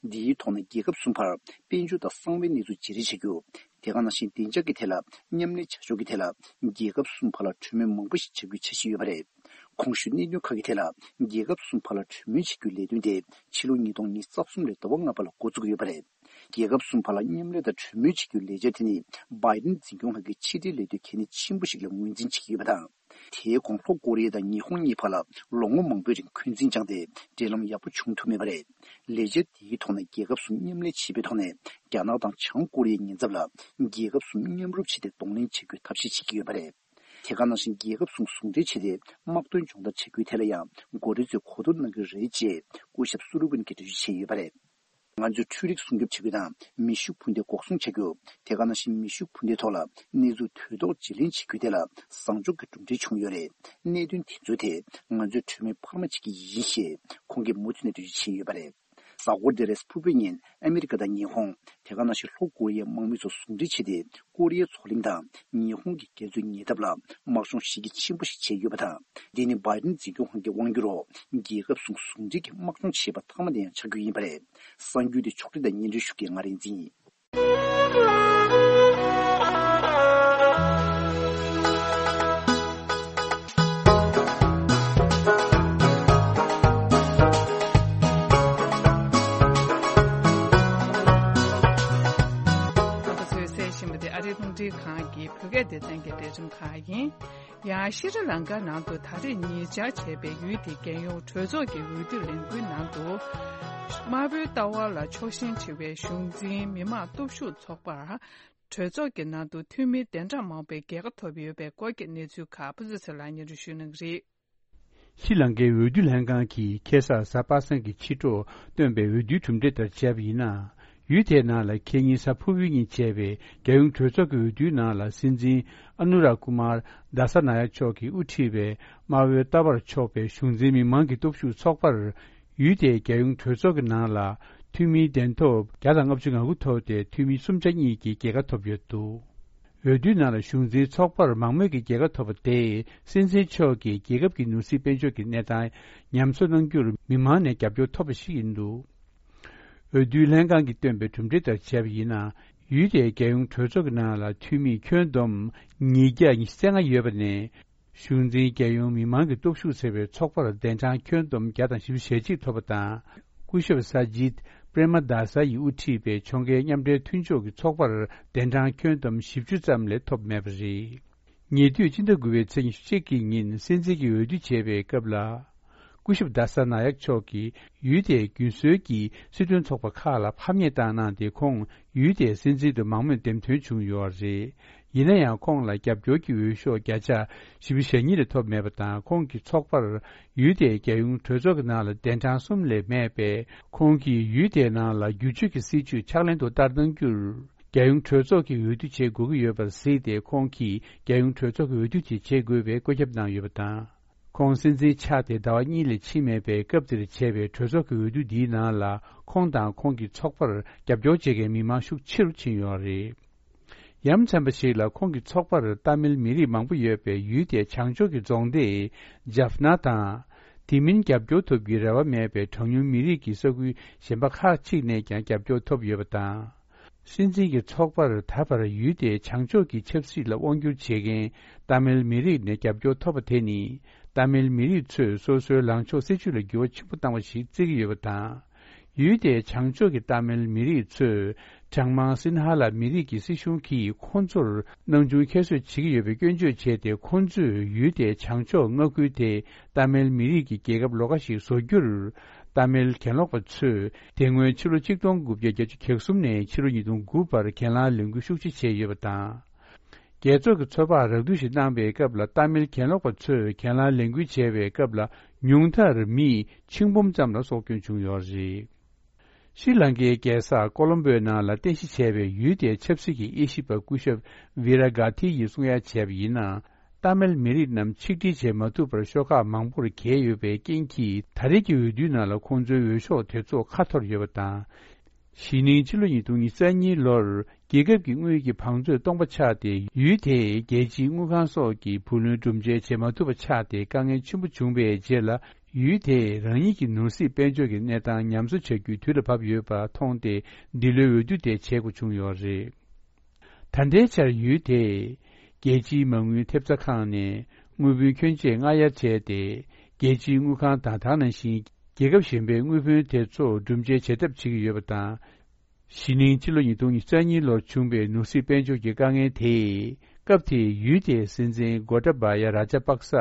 འདིའི་ཐོག་ནས་རྒྱལ་ཁབ་གསུམ་བར་དཔལ་འབྱོར་དང་གསང་བའི་གནས་ཚུལ་བརྗེ་རེས་བྱ་རྒྱུ། དེ་ག་ནང་བཞིན་བདེ་འཇགས་ཀྱི་ཐད་ལ་མཉམ་ལས་བྱ་ཕྱོགས་ཀྱི་ཐད་ལ། རྒྱལ་ཁབ་གསུམ་བར་ལ་གྲོས་མོལ་མང་པོ་ཞིག་བྱ་རྒྱུའི་འཆར་གཞི་ཡོད་པ་རེད། གོང་ཞུས་གནད་དོན་ཁག་གི་ཐད་ལ། རྒྱལ་ཁབ་གསུམ་བར་ལ་གྲོས་མོལ་བྱེད་རྒྱུའི་ལས་དོན་དེ། ཕྱི་ལོ་ཉིས་སྟོང་ཉི་ཤུ་རྩ་གསུམ་ལོའི་ཟླ་བ་ལྔ་པ་ལ་འགོ་བཙུགས་ཡོད་པ་རེད། རྒྱལ་ཁབ་གསུམ་བར་ལ་མཉམ་ལས་དང་གྲོས་མོལ་བྱེད་རྒྱུའི་ལས་འཆར་དེ་ནི། བྷའི་ཌེན་འཛིན་སྐྱོང་ཁང་གི་ཕྱི་འབྲེལ་ལས་དོན་གལ་གནད་ཆེན་པོ་ཞིག་ལ་ངོས་འཛིན་བྱེད་ཀྱི་ཡོད་པ་དང་། དེའི་གོང་ལྷོ་ཀོ་རི་ཡ་དང་ཉི་ཧོང་གཉིས་བར་ལ་ལོ་ངོ་མང་པོའི་རིང་འཁོན་འཛིན་བཅངས་ཏེ། འབྲེལ་ལམ་ཡག་པོ་བྱུང་ཐུབ་མེད་པ་རེད། ལས་འཆར་དེའི་ཐོག་ནས་རྒྱལ་ཁབ་གསུམ་མཉམ་ལས་བྱེད་པའི་ཐོག་ནས། རྒྱ་ནག་དང་བྱང་ཀོ་རི་ཡའི་ཉེན་ཚབས་ལ། རྒྱལ་ཁབ་གསུམ་མཉམ་རུབ་བྱས་ཏེ་གདོང་ལེན་བྱེད་རྒྱུའི་ཐབས་ཤེས་བྱེད་ཀྱི་ཡོད་པ་རེད། དེ་ག་ནང་བཞིན་རྒྱལ་ཁབ་གསུམ་ཟུང་འབྲེལ་བྱས་ཏེ། དམག་དོན་སྦྱོང་བརྡར་བྱ་རྒྱུའི་ཐད་ལ་ཡང་འགོ་ཁྲིད་ཚོས་གོ་བསྡུར་གནང་གི་རེད་ཅེས། སྐུ་ཞབས་སུ་ལི་ཝན་གྱིས་འགྲེལ་བརྗོད་བྱས་ཡོད་པ་རེད། ང་ཚོས་འཕྲུལ་རིག་སྲུང་སྐྱོབ་བྱ་རྒྱུ་དང་། མེ་ཤུགས་འཕུར་མདའ་འགོག་སྲུང་བྱ་རྒྱུ། དེ་ག་ནང་བཞིན་མེ་ཤུགས་འཕུར་མདའི་ཐོག་ལ་གནས་ཚུལ་དུས་ཐོག་བརྗེ་ལེན་བྱེད་རྒྱུའི་ཐད་ལ་བཟང་ཕྱོགས་ཀྱི་གྲུབ་འབྲས་བྱུང་ཡོད་རེད། གནད་དོན་དེ་ཚོའི་ཐད་ང་ཚོས་གྲོས་མོལ་འཕར་མ་བྱེད་ཀྱི་ཡིན་ཞེས། ཁོང་གིས་མུ་མཐུད་ནས་འགྲེལ་བརྗོད་བྱས་ཡོད་པ་རེད། གཟའ་འཁོར་འདིར་ཕུར་བུའི་ཉིན་ཨ་མི་རི་ཀ་དང་ཉི་ཧོང་། དེ་ག་ནང་བཞིན་ལྷོ་ཀོ་རི་ཡའི་དམག་མི་ཚོ་ཟུང་འབྲེལ་བྱས་ཏེ། ཀོ་རི་ཡའི་མཚོ་གླིང་དང་ཉི་ཧོང་གི་རྒྱ་མཚོའི་ཉེ་འདབས་ལ་དམག་སྦྱོང་གཞི་རྒྱ་ཆེན་པོ་ཞིག་བྱས་ཡོད་པ་དང་། འདི་ནི་བྷའི་ཌེན་འཛིན་སྐྱོང་ཁང་གི་དབང་སྒྱུར་འོག་རྒྱལ་ཁབ་གསུམ་ཟུང་འབྲེལ་གྱིས་དམག་སྦྱོང་བྱས་པ་མཐའ་མ་དེ་ཡང་ཆགས་རྒྱུ་ཡིན་པ་རེད། གསར་འགྱུར་དེ་ཕྱོགས་སྒྲིག་དང་སྙན་སྒྲོན་ཞུ་མཁན་ང་རིག་འཛིན་ཡིན། ང་ཚོས་གསན་བཞིན་པ་དེ་ཨ་རིའི་རླུང་འཕྲིན་ཁང་གི་བོད་སྐད་སྡེ་ཚན་གྱི་ལས་རིམ་ཁག་ཡིན། ཡང་ཤྲི་ལང་ཀ་ནང་དུ་ད་རེས་ཉེ་ཆར་བྱས་པའི་ཡུལ་དེའི་རྒྱལ་ཡོངས་གྲོས་ཚོགས་ཀྱི་འོས་བསྡུ་ལས་འགུལ་ནང་དུ། དམར་པོའི་ལྟ་བ་ལ་ཕྱོགས་ཞེན་ཆེ་བའི་གཞུང་འཛིན་མི་དམངས་སྟོབས་ཤུགས་ཚོགས་པར། གྲོས་ཚོགས་ཀྱི་ནང་དུ་འཐུས་མི་གདན་གྲངས་མང་པོས་རྒྱལ་ཁ་ཐོབ་ཡོད་པའི་སྐོར་གྱི་གནས་ཚུལ་ཁག་ཕུན་ཚོགས་ཚེ་ལགས་སྙན་སྒྲོན་ཞུ་གནང་གི་རེད། ཤྲི་ལང་ཀའི་འོས་བསྡུ་ལྷན་ཁང་གིས་ཁ་སང་གཟའ་པ་སངས་ཀྱི་ཕྱི་དྲོ་བཏོན་པའི་འོས་བསྡུའི་གྲུབ་འབྲས་ལྟར་བྱས་པ་ཡིན་ན། ཡུལ་དེའི་ནང་ལ་ཁེ་ཉིན་གཟའ་ཕུར་བུའི་ཉིན་བྱས་པའི་རྒྱལ་ཡོངས་གྲོས་ཚོགས་ཀྱི་འོས་བསྡུའི་ནང་ལ། སྲིད་འཛིན་ཨ་ནུ་ར་ཀུ་མར་དཱ་ས་ན་ཡ་མཆོག་གིས་དབུ་ཁྲིད་པའི་དམར་པོའི་ལྟ་བར་ཕྱོགས་པའི་གཞུང་འཛིན་མི་མང་གི་སྟོབས་ཤུགས་ཚོགས་པར། ཡུལ་དེའི་རྒྱལ་ཡོངས་གྲོས་ཚོགས་ཀྱི་ནང་ལ་འཐུས་མིའི་གདན་ཐོབ་བརྒྱ་དང་ལྔ་བཅུ་ང་དགུ་ཐོབ་སྟེ། འཐུས་མི་སུམ་ཆ་གཉིས་ཀྱིས་རྒྱལ་ཁ་ཐོབ་ཡོད་འདུག། འོས་བསྡུའི་ནང་ལ་གཞུང་འཛིན་ཚོགས་པར་མང་མོས་ཀྱི་རྒྱལ་ཁ་ཐོབ་པ་དེས་སྲིད་འཛིན་མཆོག་གིས་རྒྱལ་ཁབ་ཀྱི་ནོར་སྲིད་དཔལ་འབྱོར་གྱི་གནས་སྟངས་ཉམས་གསོ་གནང་རྒྱུར་མི་མང་ནས་རྒྱབ་སྐྱོར་ཐོབ་པ་ཞིག་ཡིན་འདུག་འོས་བསྡུའི་ལྷན་ཁང་གིས་བཏོན་པའི་གྲུབ་འབྲས་ལྟར་བྱས་པ་ཡིན་ན། ཡུལ་དེའི་རྒྱལ་ཡོངས་གྲོས་ཚོགས་ཀྱི་ནང་ལ་འཐུས་མི་ཁྱོན་བསྡོམས་ཉིས་བརྒྱ་ཉི་ཤུ་རྩ་ལྔ་ཡོད་པ་ནས། གཞུང་འཛིན་རྒྱལ་ཡོངས་མི་མང་གི་སྟོབས་ཤུགས་ཟེར་བའི་ཚོགས་པར་གདན་གྲངས་ཁྱོན་བསྡོམས་བརྒྱ་དང་བཞི་བཅུ་ཞེ་གཅིག་ཐོབ་པ་དང་། སྐུ་ཞབས་ས་ཇིད་པྲེ་མ་དཱ་ས་ཡིས་དབུ་ཁྲིད་པའི་ཕྱོགས་འགལ་མཉམ་འབྲེལ་མཐུན་ཕྱོགས་ཀྱི་ཚོགས་པར་གདན་གྲངས་ཁྱོན་བསྡོམས་བཞི་བཅུ་ཙམ་ལས་ཐོབ་མེད་པ་རེད། ཉེ་དུས་སྤྱི་ཟླ་དགུ་པའི་ཚེས་ཉི་ཤུ་གཅིག་གི་ཉིན་སྲིད་འཛིན་གྱི་འོས་བསྡུ་བྱས་པའི་སྐབས་ལ། སྐུ་ཞབས་དཱ་ས་ན་ཡག་མཆོག་གིས་ཡུལ་དེའི་རྒྱུན་སྲོལ་གྱི་སྲིད་དོན་ཚོགས་པ་ཁག་ལ་ཕམ་ཉེས་བཏང་གནང་སྟེ། ཁོང་ཡུལ་དེའི་སྲིད་འཛིན་དུ་མང་མོས་འདེམས་ཐོན་བྱུང་ཡོད་རེད། ཡིན་ན་ཡང་ཁོང་ལ་རྒྱབ་སྐྱོར་གྱི་འོས་ཤོག་བརྒྱ་ཆ་བཞི་བཅུ་ཞེ་གཉིས་ལས་ཐོབ་མེད་པ་དང་། ཁོང་གི་ཚོགས་པར་ཡུལ་དེའི་རྒྱལ་ཡོངས་གྲོས་ཚོགས་ཀྱི་ནང་ལ་གདན་གྲངས་གསུམ་ལས་མེད་པས། ཁོང་གིས་ཡུལ་དེའི་ནང་ལ་བསྒྱུར་བཅོས་ཀྱི་སྲིད་བྱུས་ཕྱག་ལེན་དུ་བསྟར་གནང་རྒྱུར། རྒྱལ་ཡོངས་གྲོས་ཚོགས་ཀྱིས་འོས་བསྡུ་བྱེད་དགོས་ཀྱི་ཡོད་པར་གཟིགས་ཏེ། ཁོང་གིས་རྒྱལ་ཡོངས་གྲོས་ཚོགས་ཀྱི་འོས་བསྡུ་དེ་བྱེད་དགོས་པའི་བཀོད་ཁྱབ་གནང་ཡོད་པ་དང་། ཁོང་སྲིད་འཛིན་ཆགས་ཏེ་ཟླ་བ་གཉིས་ལས་ཕྱིན་མེད་པའི་སྐབས་དེར་བྱས་པའི་གྲོས་ཚོགས་ཀྱི་འོས་བསྡུ་འདིའི་ནང་ལ། ཁོང་དང་ཁོང་གི་ཚོགས་པར་རྒྱབ་སྐྱོར་བྱེད་མཁན་མི་མང་ཤུགས་ཆེ་རུ་ཕྱིན་ཡོད་རེད། ཡ་མཚན་པ་ཞིག་ལ། ཁོང་གི་ཚོགས་པར་ཏཱ་མིལ་མི་རིགས་མང་པོ་ཡོད་པའི་ཡུལ་དེའི་བྱང་ཕྱོགས་ཀྱི་རྫོང་སྡེ་ཇཱབ་ན་དང་། དེ་མིན་རྒྱབ་སྐྱོར་ཐོབ་རྒྱུའི་རེ་བ་མེད་པའི་གྲངས་ཉུང་མི་རིགས་ཀྱི་ས་ཁུལ་གཞན་པ་ཁག་ཅིག་ནས་ཀྱང་རྒྱབ་སྐྱོར་ཐོབ་ཡོད་པ་དང་། སྲིད་འཛིན་གྱི་ཚོགས་པར་ད་བར་ཡུལ་དེའི་བྱང་ཕྱོགས་ཀྱི་ཆབ་སྲིད་ལ་དབང་བསྒྱུར་བྱེད་མཁན་ཏཱ་མིལ་མི་རིགས་ནས་རྒྱབ་སྐྱོར་ཐོབ་པ་དེ་ནི། ཏཱ་མིལ་མི་རིགས་ཚོས་སོ་སོའི་ལངས་ཕྱོགས་སྲིད་བྱུས་ལ་འགྱུར་བ་ཆེན་པོ་བཏང་བ་ཞིག་བརྩི་གི་ཡོད་པ་དང་། ཡུལ་དེའི་བྱང་ཕྱོགས་ཀྱི་ཏཱ་མིལ་མི་རིགས་ཚོས་གྲངས་མང་སིན་ཧ་ལ་མི་རིགས་ཀྱི་སྲིད་གཞུང་གིས་ཁོང་ཚོར་སྣང་ཆུང་ཁྱད་གསོད་བྱེད་ཀྱི་ཡོད་པའི་སྐྱོན་བརྗོད་བྱས་ཏེ། ཁོང་ཚོས་ཡུལ་དེའི་བྱང་ཕྱོགས་མངའ་ཁུལ་དེ་ཏཱ་མིལ་མི་རིགས་ཀྱི་རྒྱལ་ཁབ་ལོགས་ཀ་ཞིག་བཟོ་རྒྱུར། ཏཱ་མིལ་གྱེན་ལོག་པ་ཚོས་དེ་སྔོན་ཕྱི་ལོ་ཆིག་སྟོང་དགུ་བརྒྱ་བརྒྱད་ཅུ་གྱ་གསུམ་ནས་ཕྱི་ལོ་ཉིས་སྟོང་དགུ་བར་གྱེན་ལངས་ལས་འགུལ་ཤུགས་ཆེ་བྱས་ཡོད་པ་དང་། རྒྱལ་ཚོགས་ཀྱི་ཚོད་དཔག་རགས་བསྡུས་ཤིག་གནང་པའི་སྐབས་ལ། ཏཱ་མིལ་གྱེན་ལོག་པ་ཚོས་གྱེན་ལངས་ལས་འགུལ་བྱས་པའི་སྐབས་ལ། ཉུང་མཐར་མི་ཆིག་འབུམ་ཙམ་ལ་སྲོག་སྐྱོན་བྱུང་ཡོད་རེད། ཤྲི་ལང་ཀའི་རྒྱལ་ས་ཀོ་ལོམ་བོའི་ནང་ལ་རྟེན་གཞི་བྱས་པའི་ཡུལ་དེའི་ཆབ་སྲིད་ཀྱི་དབྱེ་ཞིབ་པ་སྐུ་ཞབས་ཝི་ར་གྷ་ཐི་ཡིས་གསུང་ཡ་བྱས་པ་ཡིན་ན། ཏཱ་མིལ་མི་རིགས་རྣམས་ཆིག་སྒྲིལ་བྱེད་མ་ཐུབ་པར་ཤོག་ཁག་མང་པོར་གྱེས་ཡོད་པའི་རྐྱེན་གྱིས། ད་རེས་ཀྱི་འོས་བསྡུའི་ནང་ལ་ཁོང་ཚོའི་འོས་ཤོག་དེ་ཚོ་ཁ་འཐོར་ཡོད་པ་དང་། གཞེས་ནིང་ཕྱི་ལོ་ཉིས་སྟོང་ཉི་ཤུ་རྩ་གཉིས་ལོར་རྒྱལ་ཁབ་ཀྱི་དངུལ་གྱི་བང་མཛོད་སྟོང་པ་ཆགས་ཏེ། ཡུལ་དེའི་རྒྱལ་སྤྱིའི་དངུལ་ཁང་སོགས་ཀྱི་བུ་ལོན་སྒྲུབ་འཇལ་བྱེད་མ་ཐུབ་པ་ཆགས་ཏེ། དཀའ་ངལ་ཆེན་པོ་བྱུང་བའི་རྗེས་ལ། ཡུལ་དེས་རང་ཉིད་ཀྱི་ནོར་སྲིད་དཔལ་འབྱོར་གྱི་གནས་སྟངས་ཉམས་གསོ་བྱ་རྒྱུའི་དུས་ལ་བབ་ཡོད་པ་མཐོང་སྟེ། འདི་ལོའི་འོས་བསྡུ་དེ་བྱེད་དགོས་བྱུང་ཡོད་རེད། ད་ལྟའི་ཆར་ཡུལ་དེས་རྒྱལ་སྤྱིའི་མ་དངུལ་ཐེབས་རྩ་ཁང་ནས་དངུལ་བུན་ཁྱོན་ཆེ་སྔར་ཡར་བྱས་ཏེ། རྒྱལ་སྤྱིའི་དངུལ་ཁང་དང་། ད་ག་ནང་བཞིན་རྒྱལ་ཁབ་གཞན་པའི་དངུལ་བུན་དེ་ཚོ་སྒྲུབ་འཇལ་བྱེད་ཐབས་བྱེད་ཀྱི་ཡོད་པ་དང་། གཞེས་ནིང་ཕྱི་ལོ་ཉིས་སྟོང་ཉི་ཤུ་རྩ་གཉིས་ལོར་བྱུང་བའི་ནོར་སྲིད་དཔལ་འབྱོར་གྱི་དཀའ་ངལ་དེས། སྐབས་དེའི་ཡུལ་དེའི་སྲིད་འཛིན་གོ་ཏཱ་བཱ་ཡ་རཱ་ཇཱ་པག་ས་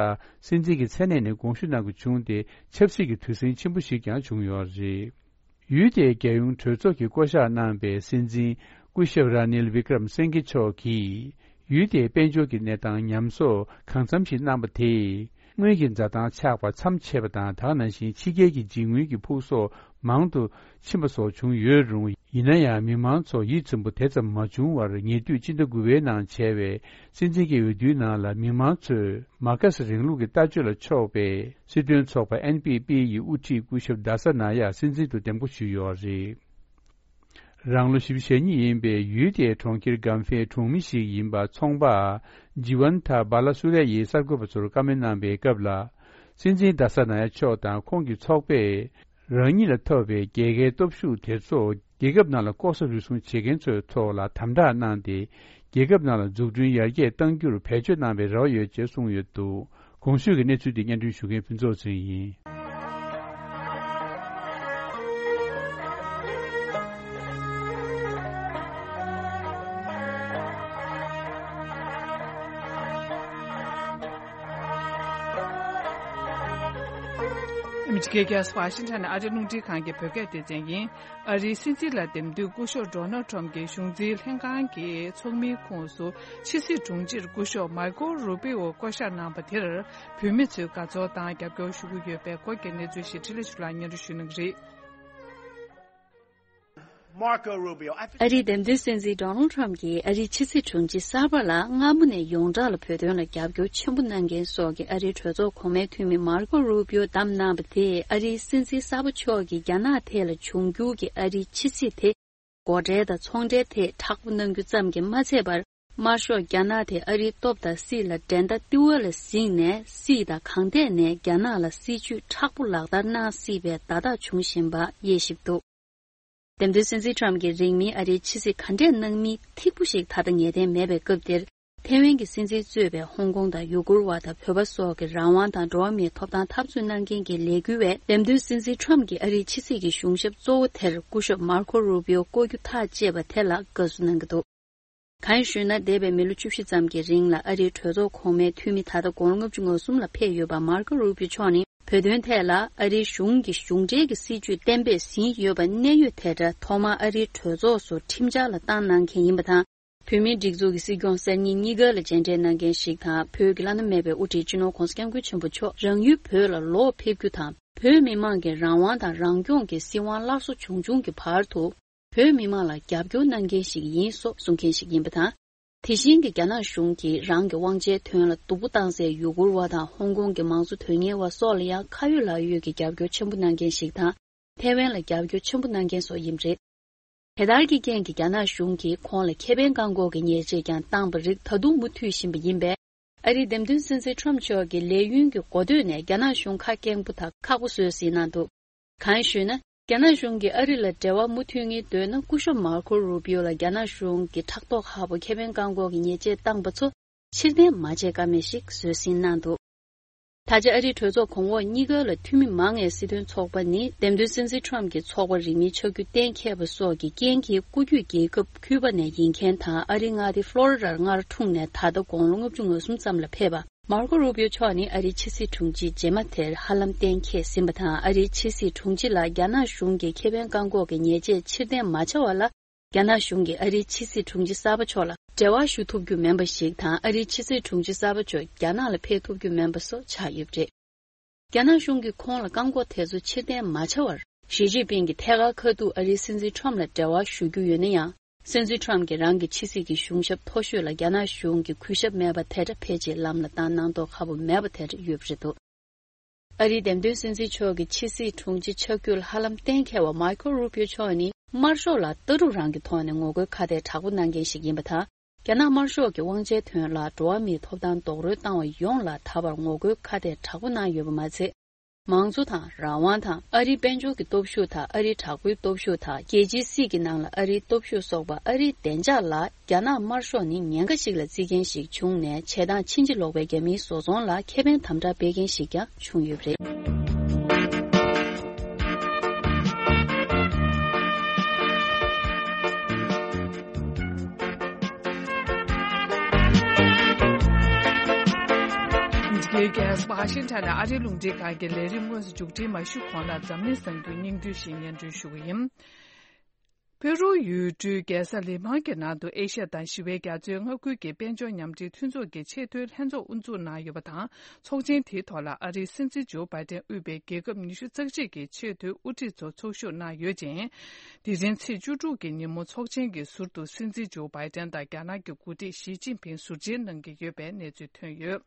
སྲིད་འཛིན་གྱི་མཚན་གནས་ནས་དགོངས་ཞུ་གནང་དགོས་བྱུང་སྟེ། ཆབ་སྲིད་ཀྱི་དུས་ཟིང་ཆེན་པོ་ཞིག་ཀྱང་བྱུང་ཡོད་རེད། ཡུལ་དེའི་རྒྱལ་ཡོངས་གྲོས་ཚོགས་ཀྱིས་བསྐོ་གཞག་གནང་པའི་སྲིད་འཛིན་སྐུ་ཞབས་ར་ནིལ་བི་ཀྲམ་སིང་གྷེ་མཆོག་གིས། ཡུལ་དེའི་དཔལ་འབྱོར་གྱི་གནས་སྟངས་ཉམས་གསོ་གང་འཚམ་ཞིག་གནང་པ་དེས། དངུལ་གྱི་འཛའ་ཐང་ཆག་པ་མཚམས་ཆད་པ་དང་། ད་ག་ནང་བཞིན་ཕྱི་རྒྱལ་གྱི་འཇིགས་དངུལ་གྱི་ཕུགས་གསོག་མང་དུ་ཕྱིན་པ་སོགས་བྱུང་ཡོད་རུང་། ཡིན་ན་ཡང་མི་མང་ཚོ་ཡིད་ཚིམ་པོ་དེ་ཙམ་མ་བྱུང་བར། ཉེ་དུས་སྤྱི་ཟླ་དགུ་པའི་ནང་བྱས་པའི་སྲིད་འཛིན་གྱི་འོས་བསྡུའི་ནང་ལ། མི་མང་ཚོས་མར་ཁེ་སི་རིང་ལུགས་ཀྱི་ལྟ་སྤྱོད་ལ་ཕྱོགས་པའི་སྲིད་དོན་ཚོགས་པ་ཨེན་པི་པི་ཡི་དབུ་ཁྲིད་སྐུ་ཞབས་དཱ་ས་ན་ཡ་སྲིད་འཛིན་དུ་འདེམས་བསྐོ་ཞུས་ཡོད་རེད། རང་ལོ་བཞི་བཅུ་ཞེ་གཉིས་ཡིན་པའི་ཡུལ་དེའི་གྲོང་ཁྱེར་གམ་ཕའི་གྲོང་མི་ཞིག་ཡིན་པ་ཚོང་པ་ཇི་ཝན་ཐ་བཱ་ལ་སུ་ར་ཡིས་གསར་འགོད་པ་ཚོར་བཀའ་མོལ་གནང་པའི་སྐབས་ལ། སྲིད་འཛིན་དཱ་ས་ན་ཡ་མཆོག་དང་ཁོང་གི་ཚོགས་པས། རང་ཉིད་ལ་ཐོབ་པའི་རྒྱལ་ཁའི་སྟོབས་ཤུགས་དེ་ཚོ་རྒྱལ་ཁབ་ནང་ལ་ལྐོག་ཟ་རུལ་སུངས་བྱེད་མཁན་ཚོའི་ཐོག་ལ་དམ་དྲག་གནང་སྟེ། རྒྱལ་ཁབ་ནང་ལ་འཛུགས་སྐྲུན་ཡར་རྒྱས་གཏང་རྒྱུར་བེད་སྤྱོད་གནང་བའི་རེ་བ་ཡོད་ཅེས་གསུངས་ཡོད་འདུག། གོང་ཞུས་ཀྱི་གནས་ཚུལ་འདི་སྙན་སྒྲོན་ཞུ་མཁན་ཕུན་ཚོགས་ཚེ་རིང་ཡིན། ཨ་མི་རི་ཀའི་རྒྱལ་ས་ཝ་ཤིང་ཊོན་ནས་ཨ་རིའི་རླུང་འཕྲིན་ཁང་གི་བོད་སྐད་སྡེ་ཚན་ཡིན། ཨ་རིའི་སྲིད་འཛིན་ལ་འདེམས་དུས་སྐུ་ཞབས་ཌོ་ནལ་ཊམ་གྱི་གཞུང་འཛིན་ལྷན་ཁང་གི་ཚོགས་མིའི་ཁོངས་སུ་ཕྱི་སྲིད་དྲུང་ཆེར་སྐུ་ཞབས་མར་ཀོ་རུ་པི་ཨོ་བསྐོ་གཞག་གནང་པ་དེར་བོད་མི་ཚོས་དགའ་ཚོར་དང་རྒྱབ་སྐྱོར་ཞུ་གི་ཡོད་པའི་སྐོར་གྱི་གནས་ཚུལ་ཞིག་འཕྲིན་ལས་ཆོས་ལགས་སྙན་སྒྲོན་ཞུ་གནང་གི་རེད། Marco Rubio. I think ཨ་རིའི་འདེམས་ཐོན་སྲིད་འཛིན་ཌོ་ནལ་ཊམ་གྱིས་ཨ་རིའི་ཕྱི་སྲིད་དྲུང་ཆེ་གསར་པ་ལ་སྔ་མོ་ནས་ཡོངས་གྲགས་ལ་བོད་དོན་ལ་རྒྱབ་སྐྱོར་ཆེན་པོ་གནང་མཁན་སོགས་ཀྱི་ཨ་རིའི་གྲོས་ཚོགས་གོང་མའི་འཐུས་མི་མར་ཀོ་རུ་པིའོ་བདམས་གནང་བ་དེས་ཨ་རིའི་སྲིད་འཛིན་གསར་པ་མཆོག་གིས་རྒྱ་ནག་ཐད་ལ་འབྱུང་འགྱུར་གྱི་ཨ་རིའི་ཕྱི་སྲིད་དེ་སྒོ་ཁྲལ་དང་ཚོང་ཁྲལ་ཐད་མཁྲེགས་པོ་གནང་རྒྱུ་ཙམ་གྱིས་མ་ཚད་པར། དམར་ཤོག་རྒྱ་ནག་དེ་ཨ་རིའི་སྟོབས་དང་སྲིད་ལ་འགྲན་ཟླ་ལྟེ་བ་ལ་གཟིགས་ནས་སྲིད་དང་གང་ཐད་ནས་རྒྱ་ནག་ལ་སྲིད་ཇུས་མཁྲེགས་པོ་ལག་བསྟར་གནང་སྲིད་པའི་བརྡ་རྟགས་བྱུང་བཞིན་པ་དབྱེ་ཞིབ་འདུག་འདེམས་ཐོན་སྲིད་འཛིན་ཁྲོམ་གྱིས་རིང་མིན་ཨ་རིའི་ཕྱི་སྲིད་ག་འདྲས་གནང་མིན་ཐིག་པོ་ཞིག་ད་ལྟ་ངེས་གཏན་མེད་པའི་སྐབས་འདིར། ཐའེ་ཝན་གྱི་སྲིད་འཛིན་གཙོས་པའི་ཧོང་ཀོང་དང་ཡུ་གུར་བ་དང་བོད་པ་སོགས་ཀྱི་རང་དབང་དང་འགྲོ་བ་མིའི་ཐོབ་ཐང་འཐབ་རྩོད་གནང་མཁན་གྱི་ལས་འགུལ་བས། འདེམས་ཐོན་སྲིད་འཛིན་ཁྲོམ་གྱིས་ཨ་རིའི་ཕྱི་སྲིད་ཀྱི་གཞུང་ཞབས་གཙོ་བོ་དེར་སྐུ་ཞབས་མར་ཁོ་རུ་པིའོ་བསྐོ་རྒྱུ་ཐག་བཅད་པ་དེ་ལ་དགའ་བསུ་གནང་གི་འདུག་གང་ཡིན་ཞུས་ན། འདས་པའི་མི་ལོ་བཅུ་བཞི་ཙམ་གྱི་རིང་ལ་ཨ་རིའི་གྲོས་ཚོགས་གོང་མའི་འཐུས་མི་ད་ལྟ་དགུང་ལོ་ལྔ་བཅུ་ང་གསུམ་ལ་ཕེབས་ཡོད་པ་མར་ཁོ་རུ་པིའོ་མཆོག་ནི། བོད་དོན་ཐད་ལ་ཨ་རིའི་གཞུང་གི་གཞུང་འབྲེལ་གྱི་སྲིད་ཇུས་གཏན་འབེབས་ཟིན་ཡོད་པ་གནད་ཡོད་དེ་འདྲ་ཐོག་མར་ཨ་རིའི་གྲོས་ཚོགས་སུ་ཁྲིམས་འཆར་ལ་བཏང་གནང་མཁན་ཡིན་པ་དང་། བོད་མིའི་སྒྲིག་འཛུགས་ཀྱི་སྲིད་སྐྱོང་གསར་རྙིང་གཉིས་ཀ་ལ་མཇལ་འཕྲད་གནང་མཁན་ཞིག་དང་། བོད་ཀྱི་བླ་ན་མེད་པའི་དབུ་ཁྲིད་སྤྱི་ནོར་༸གོང་ས་༸སྐྱབས་མགོན་ཆེན་པོ་མཆོག་རང་ཡུལ་བོད་ལ་ལོག་ཕེབས་རྒྱུ་དང་། བོད་མི་མང་གི་རང་དབང་དང་རང་སྐྱོང་གི་སྲིད་དབང་སླར་གསོ་བྱུང་བྱུང་གི་བར་དུ། བོད་མི་མང་ལ་རྒྱབ་སྐྱོར་གནང་མཁན་ཞིག་ཡིན་སོགས་གསུང་མཁན་ཞིག་ཡིན་པ་དང་། དེ་བཞིན་གྱི་རྒྱ་ནག་གཞུང་གིས་རང་གི་དབང་ཆའི་དོན་ལ་སྡུག་པོ་བཏང་སའི་ཡུ་གུར་བ་དང་ཧོང་ཀོང་གི་མང་གཙོ་དོན་གཉེར་བ་སོགས་ལ་ཡང་ཁ་ཡོད་ལག་ཡོད་ཀྱི་རྒྱབ་སྐྱོར་ཆེན་པོ་གནང་མཁན་ཞིག་དང་། ཐའེ་ཝན་ལ་རྒྱབ་སྐྱོར་ཆེན་པོ་གནང་མཁན་སོགས་ཡིན་པ་རེད། དེ་ལྟར་གྱི་རྐྱེན་གྱིས་རྒྱ་ནག་གཞུང་གིས་ཁོང་ལ་ཁེ་ཕན་བཀག་འགོག་གི་ཉེས་ཆད་ཀྱང་བཏང་པ་རིགས་ད་དུང་མུ་མཐུད་བཞིན་པ་ཡིན་པས། ཨ་རིའི་འདེམས་ཐོན་སྲིད་འཛིན་ཁྲོམ་མཆོག་གི་ལས་ཡུན་གྱི་འགོ་སྟོད་ནས་རྒྱ་ནག་གཞུང་ཁ་སྐྱེངས་པོ་དང་ཁག་པོ་བཟོས་ཟིན་གནང་འདུག་གང་ཞུས་ན། རྒྱ་ནག་གཞུང་གིས་ཨ་རི་ལ་འབྲེལ་བ་མུ་མཐུད་ངེས་འདོད་ན། སྐུ་ཞབས་མར་ཁོ་རུ་པིའོ་ལ་རྒྱ་ནག་གཞུང་གིས་ཕྲག་དོག་ཁག་པོ་ཁེ་ཕན་བཀག་འགོག་གི་ཉེས་ཆད་བཏང་པ་ཚོ་ཕྱིར་འཐེན་མ་བྱེད་ཀ་མེད་ཞིག་བཟོས་ཟིན་གནང་འདུག་ད་ཆ་ཨ་རིའི་གྲོས་ཚོགས་གོང་འོག་གཉིས་ཀ་ལ་འཐུས་མི་མང་བའི་སྲིད་དོན་ཚོགས་པ་ནི། འདེམས་ཐོན་སྲིད་འཛིན་ཁྲོམ་གྱི་ཚོགས་པ་རིང་མིན་ཆགས་རྒྱུ་གཏན་འཁེལ་བ་སོགས་ཀྱི་རྐྱེན་གྱིས། སྐུ་རྒྱུད་རྒྱལ་ཁབ་ཁྱུ་པ་ནས་ཡིན་མཁན་དང་། ཨ་རིའི་མངའ་སྡེ་ཧྥ་ལོ་རི་ཌར་མངའ་སྡེར་འཁྲུངས་ནས་ད་ལྟ་དགུང་ལོ་ལྔ་བཅུ་ང་གསུམ་ཙམ་ལ་ཕེབས་པ་མར་ཁོ་རུ་པིའོ་མཆོག་ནི། ཨ་རིའི་ཕྱི་སྲིད་དྲུང་ཆེ་རྗེས་མ་དེར་ཧ་ལམ་གཏན་འཁེལ་ཟིན་པ་དང་། ཨ་རིའི་ཕྱི་སྲིད་དྲུང་ཆེ་ལ་རྒྱ་ནག་གཞུང་གིས་ཁེ་ཕན་བཀག་འགོག་གི་ཉེས་ཆད་ཕྱིར་འཐེན་མ་བྱ་བ་ལ། རྒྱ་ནག་གཞུང་གིས་ཨ་རིའི་ཕྱི་སྲིད་དྲུང་ཆེ་གསར་པ་མཆོག་ལ་འབྲེལ་བ་ཞུ་ཐུབ་རྒྱུ་མིན་པ་ཞིག་དང་། ཨ་རིའི་ཕྱི་སྲིད་དྲུང་ཆེ་གསར་པ་མཆོག་རྒྱ་ནག་ལ་ཕེབས་ཐུབ་རྒྱུ་མིན་པ་སོགས་ཆགས་ཡོད་པ་རེད། རྒྱ་ནག་གཞུང་གིས་ཁོང་ལ་བཀག་འགོག་དེ་ཚོ་ཕྱིར་འཐེན་མ་བྱ་བར། ཞི་ཅིན་ཕིང་གིས་ཐད་ཀར་ཁ་ཐུག་ཨ་རིའི་སྲིད་འཛིན་ཁྲོམ་ལ་འབྲེལ་བ་ཞུ་རྒྱུ་ཡོད་ན་ཡང་། སྲིད་འཛིན་ཁྲོམ་གྱིས་རང་གི་ཕྱི་སྲིད་ཀྱི་གཞུང་ཞབས་མཐོ་ཤོས་ལ་རྒྱ་ནག་གཞུང་གིས་གུས་ཞབས་མེད་པ་དེ་འདྲ་ཕལ་ཆེར་ལམ་ལ་བཏང་གནང་མདོག་ཁ་པོ་མེད་པ་དེ་འདྲ་ཡོད་པ་རེད་འདུག་ཨ་རིའི་འདེམས་ཐོན་སྲིད་འཛིན་མཆོག་གི་ཕྱི་སྲིད་དྲུང་ཆེ་ཆགས་རྒྱུ་ལ་ཧ་ལམ་གཏན་འཁེལ་བ་མར་ཁོ་རུ་པིའོ་མཆོག་ནི། དམར་ཤོག་ལ་ལྟ་གྲུབ་རང་གི་ཐོག་ནས་ངོ་རྒོལ་ཁ་གཏད་དྲག་པོ་གནང་མཁན་ཞིག་ཡིན་པ་དང་། རྒྱ་ནག་དམར་ཤོག་གི་དབང་ཆའི་དོན་ལ་འགྲོ་བ་མིའི་ཐོབ་ཐང་རྡོག་རོལ་བཏང་བ་ཡོངས་ལ་ད་བར་ངོ་རྒོལ་ཁ་གཏད་དྲག་པོ་གནང་ཡོད་པ་མ་ཚད། མང་གཙོ་དང་རང་དབང་དང་། ཨ་རིའི་དཔལ་འབྱོར་གྱི་སྟོབས་ཤུགས་དང་། ཨ་རིའི་དྲག་པོའི་སྟོབས་ཤུགས་དང་། རྒྱལ་སྤྱིའི་སྲིད་ཀྱི་ནང་ལ་ཨ་རིའི་སྟོབས་ཤུགས་སོགས་པ། ཨ་རིའི་བདེ་འཇགས་ལ་རྒྱ་ནག་དམར་ཤོག་ནི་ཉེན་ཁ་ཞིག་ལ་བརྩི་མཁན་ཞིག་བྱུང་ནས། བྱེད་སྟངས་ཕྱིན་ཅི་ལོག་པའི་རྒྱ་མིའི་བཟོ་ཚོང་ལ་ཁེ་ཕན་དམ་དྲག་སྤེལ་མཁན་ཞིག་ཀྱང་བྱུང་ཡོད་པ་རེད། འདི་གའི་རྒྱལ་ས་ཝ་ཤིང་ཊོན་ནས་ཨ་རིའི་རླུང་འཕྲིན་ཁང་གི་ལས་རིམ་དངོས་སུ་མཇུག་སྒྲིལ་མ་ཞུས་གོང་ལ། འཛམ་གླིང་གསར་འགྱུར་སྙིང་བསྡུས་ཤིག་སྙན་སྒྲོན་ཞུ་གི་ཡིན། ཕེ་རུ་ཡུལ་གྲུའི་རྒྱལ་ས་ལི་མཱ་གི་ནང་དུ་ཨེ་ཤ་ཡ་དང་ཞི་བའི་རྒྱ་མཚོའི་མངའ་ཁུལ་གྱི་དཔལ་འབྱོར་མཉམ་འབྲེལ་མཐུན་ཚོགས་ཀྱི་ཆེས་མཐོའི་ལྷན་ཚོགས་དབུ་འཛུགས་གནང་ཡོད་པ་དང་། ཚོགས་ཆེན་དེའི་ཐོག་ལ་ཨ་རིའི་སྲིད་འཛིན་ཇོ་བྷའི་ཏན་དབུས་པའི་རྒྱལ་ཁབ་ཉི་ཤུ་རྩ་གཅིག་གི་ཆེས་མཐོའི་དབུ་ཁྲིད་ཚོ་ཚོགས་ཞུགས་གནང་ཡོད་ཅིང་། དེ་རིང་ཚེས་བཅུ་དྲུག་གི་ཉིན་མོ་ཚོགས་ཆེན་གྱི་ཟུར་དུ་སྲིད་འཛིན་ཇོ་བྷའི་ཏན་དང་རྒྱ་ནག་གི་འགོ་ཁྲིད་ཞི་ཅིན་ཕིང་ཟུར་མཇལ་གནང་གི་ཡོད་པའི་གནས་ཚུལ་ཐོན་ཡོད།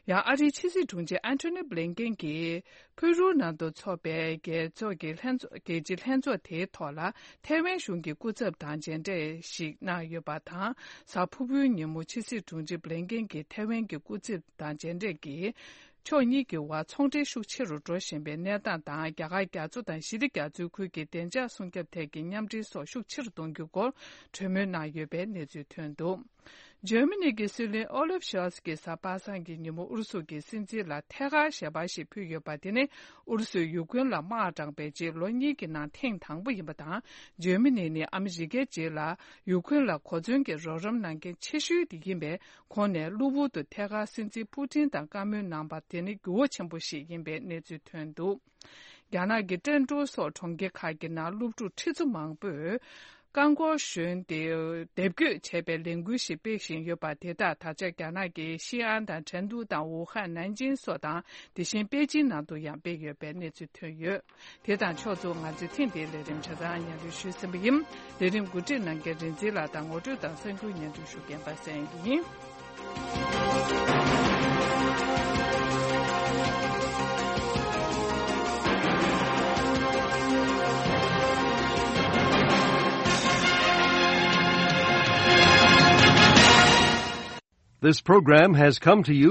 ཡང་ཨ་རིའི་ཕྱི་སྲིད་དྲུང་ཆེ་ཨན་ཐོ་ནི་བྷི་ལིན་ཀེན་གྱིས་ཕུ་རུའུ་ནང་དུ་འཚོགས་པའི་རྒྱལ་ཚོགས་ཀྱི་ལྷན་ཚོགས། རྒྱལ་སྤྱིའི་ལྷན་ཚོགས་དེའི་ཐོག་ལ་ཐའེ་ཝན་གཞུང་གི་སྐུ་ཚབ་དང་མཇལ་འཕྲད་ཞིག་གནང་ཡོད་པ་དང་། གཟའ་ཕུར་བུའི་ཉིན་མོ་ཕྱི་སྲིད་དྲུང་ཆེ་བྷི་ལིན་ཀེན་གྱིས་ཐའེ་ཝན་གྱི་སྐུ་ཚབ་དང་མཇལ་འཕྲད་ཀྱིས། ཕྱོགས་གཉིས་ཀྱི་དབར་ཚོང་འབྲེལ་ཤུགས་ཆེ་རུ་འགྲོ་བཞིན་པའི་གནས་སྟངས་དང་། རྒྱ་གར་རྒྱ་མཚོ་དང་ཞི་བདེ་རྒྱ་མཚོའི་ཁུལ་གྱི་བདེ་འཇགས་སྲུང་སྐྱོབ་ཐད་ཀྱི་མཉམ་འབྲེལ་སོགས་ཤུགས་ཆེ་རུ་གཏོང་རྒྱུའི་སྐོར་གྲོས་མོལ་གནང་ཡོད་པའི་གནས་ཚུལ་ཐོན་འདུག་འཇར་མ་ནི་གི་སྲིད་བློན་ཨོ་ལེབ་ཤོལ་ཚ་གིས་གཟའ་པ་སངས་ཀྱི་ཉིན་མོ་ཨུ་རུ་སུ་གི་སྲིད་འཛིན་ལ་ཐད་ཀར་ཞལ་པར་ཞིག་ཕུལ་ཡོད་པ། དེ་ནི་ཨུ་རུ་སུས་ཡུ་ཀེ་རེན་ལ་དམག་དྲངས་པའི་རྗེས་ལོ་གཉིས་ཀྱི་ནང་ཐེངས་དང་པོ་ཡིན་པ་དང་། འཇར་མ་ནི་ནི་ཨ་མི་རི་ཀའི་རྗེས་ལ་ཡུ་ཀེ་རེན་ལ་གོ་མཚོན་གྱི་རོགས་རམ་གནང་མཁན་ཆེ་ཤོས་དེ་ཡིན་པས། ཁོང་ནས་གློ་བུར་དུ་ཐད་ཀར་སྲིད་འཛིན་པུ་ཏིན་དང་བཀའ་མོལ་གནང་པ་དེ་ནི་འགྱུར་བ་ཆེན་པོ་ཞིག་ཡིན་པའི་གནས་ཚུལ་ཐོན་འདུག་རྒྱ་ནག་གི་ཀྲེན་ཀྲོའུ་སོགས་གྲོང་ཁྱེར་ཁག་གི་ནང་སློབ་ཕྲུག་ཁྲི་ཚོ་མང་པོས་རྐང་འཁོར་ཞོན་ཏེ་དེབ་འགོད་བྱས་པའི་ལས་འགུལ་ཞིག་སྤེལ་བཞིན་ཡོད་པ། དེ་དག་ད་ཆ་རྒྱ་ནག་གི་ཤིན་ཨན་དང་ཁྲེང་ཏུའུ་དང་ཝུ་ཧན། ནན་ཅིང་སོགས་དང་། དེ་བཞིན་པེ་ཅིན་ནང་དུ་ཡང་སྤེལ་ཡོད་པའི་གནས་ཚུལ་ཐོན་ཡོད། དེ་དང་ཕྱོགས་མཚུངས་ང་ཚོའི་ཐེངས་འདིའི་ལས་རིམ་ཆ་ཚང་སྙན་སྒྲོན་ཞུས་ཟིན་པ་ཡིན། ལས་རིམ་གོ་སྒྲིག་གནང་མཁན་རིན་འཛིན་ལགས་དང་། ངོ་སྤྲོད་དང་གསར་འགྱུར་སྙན་སྒྲོན་ཞུ་མཁན་པ་སངས་ཡིན། This program has come to you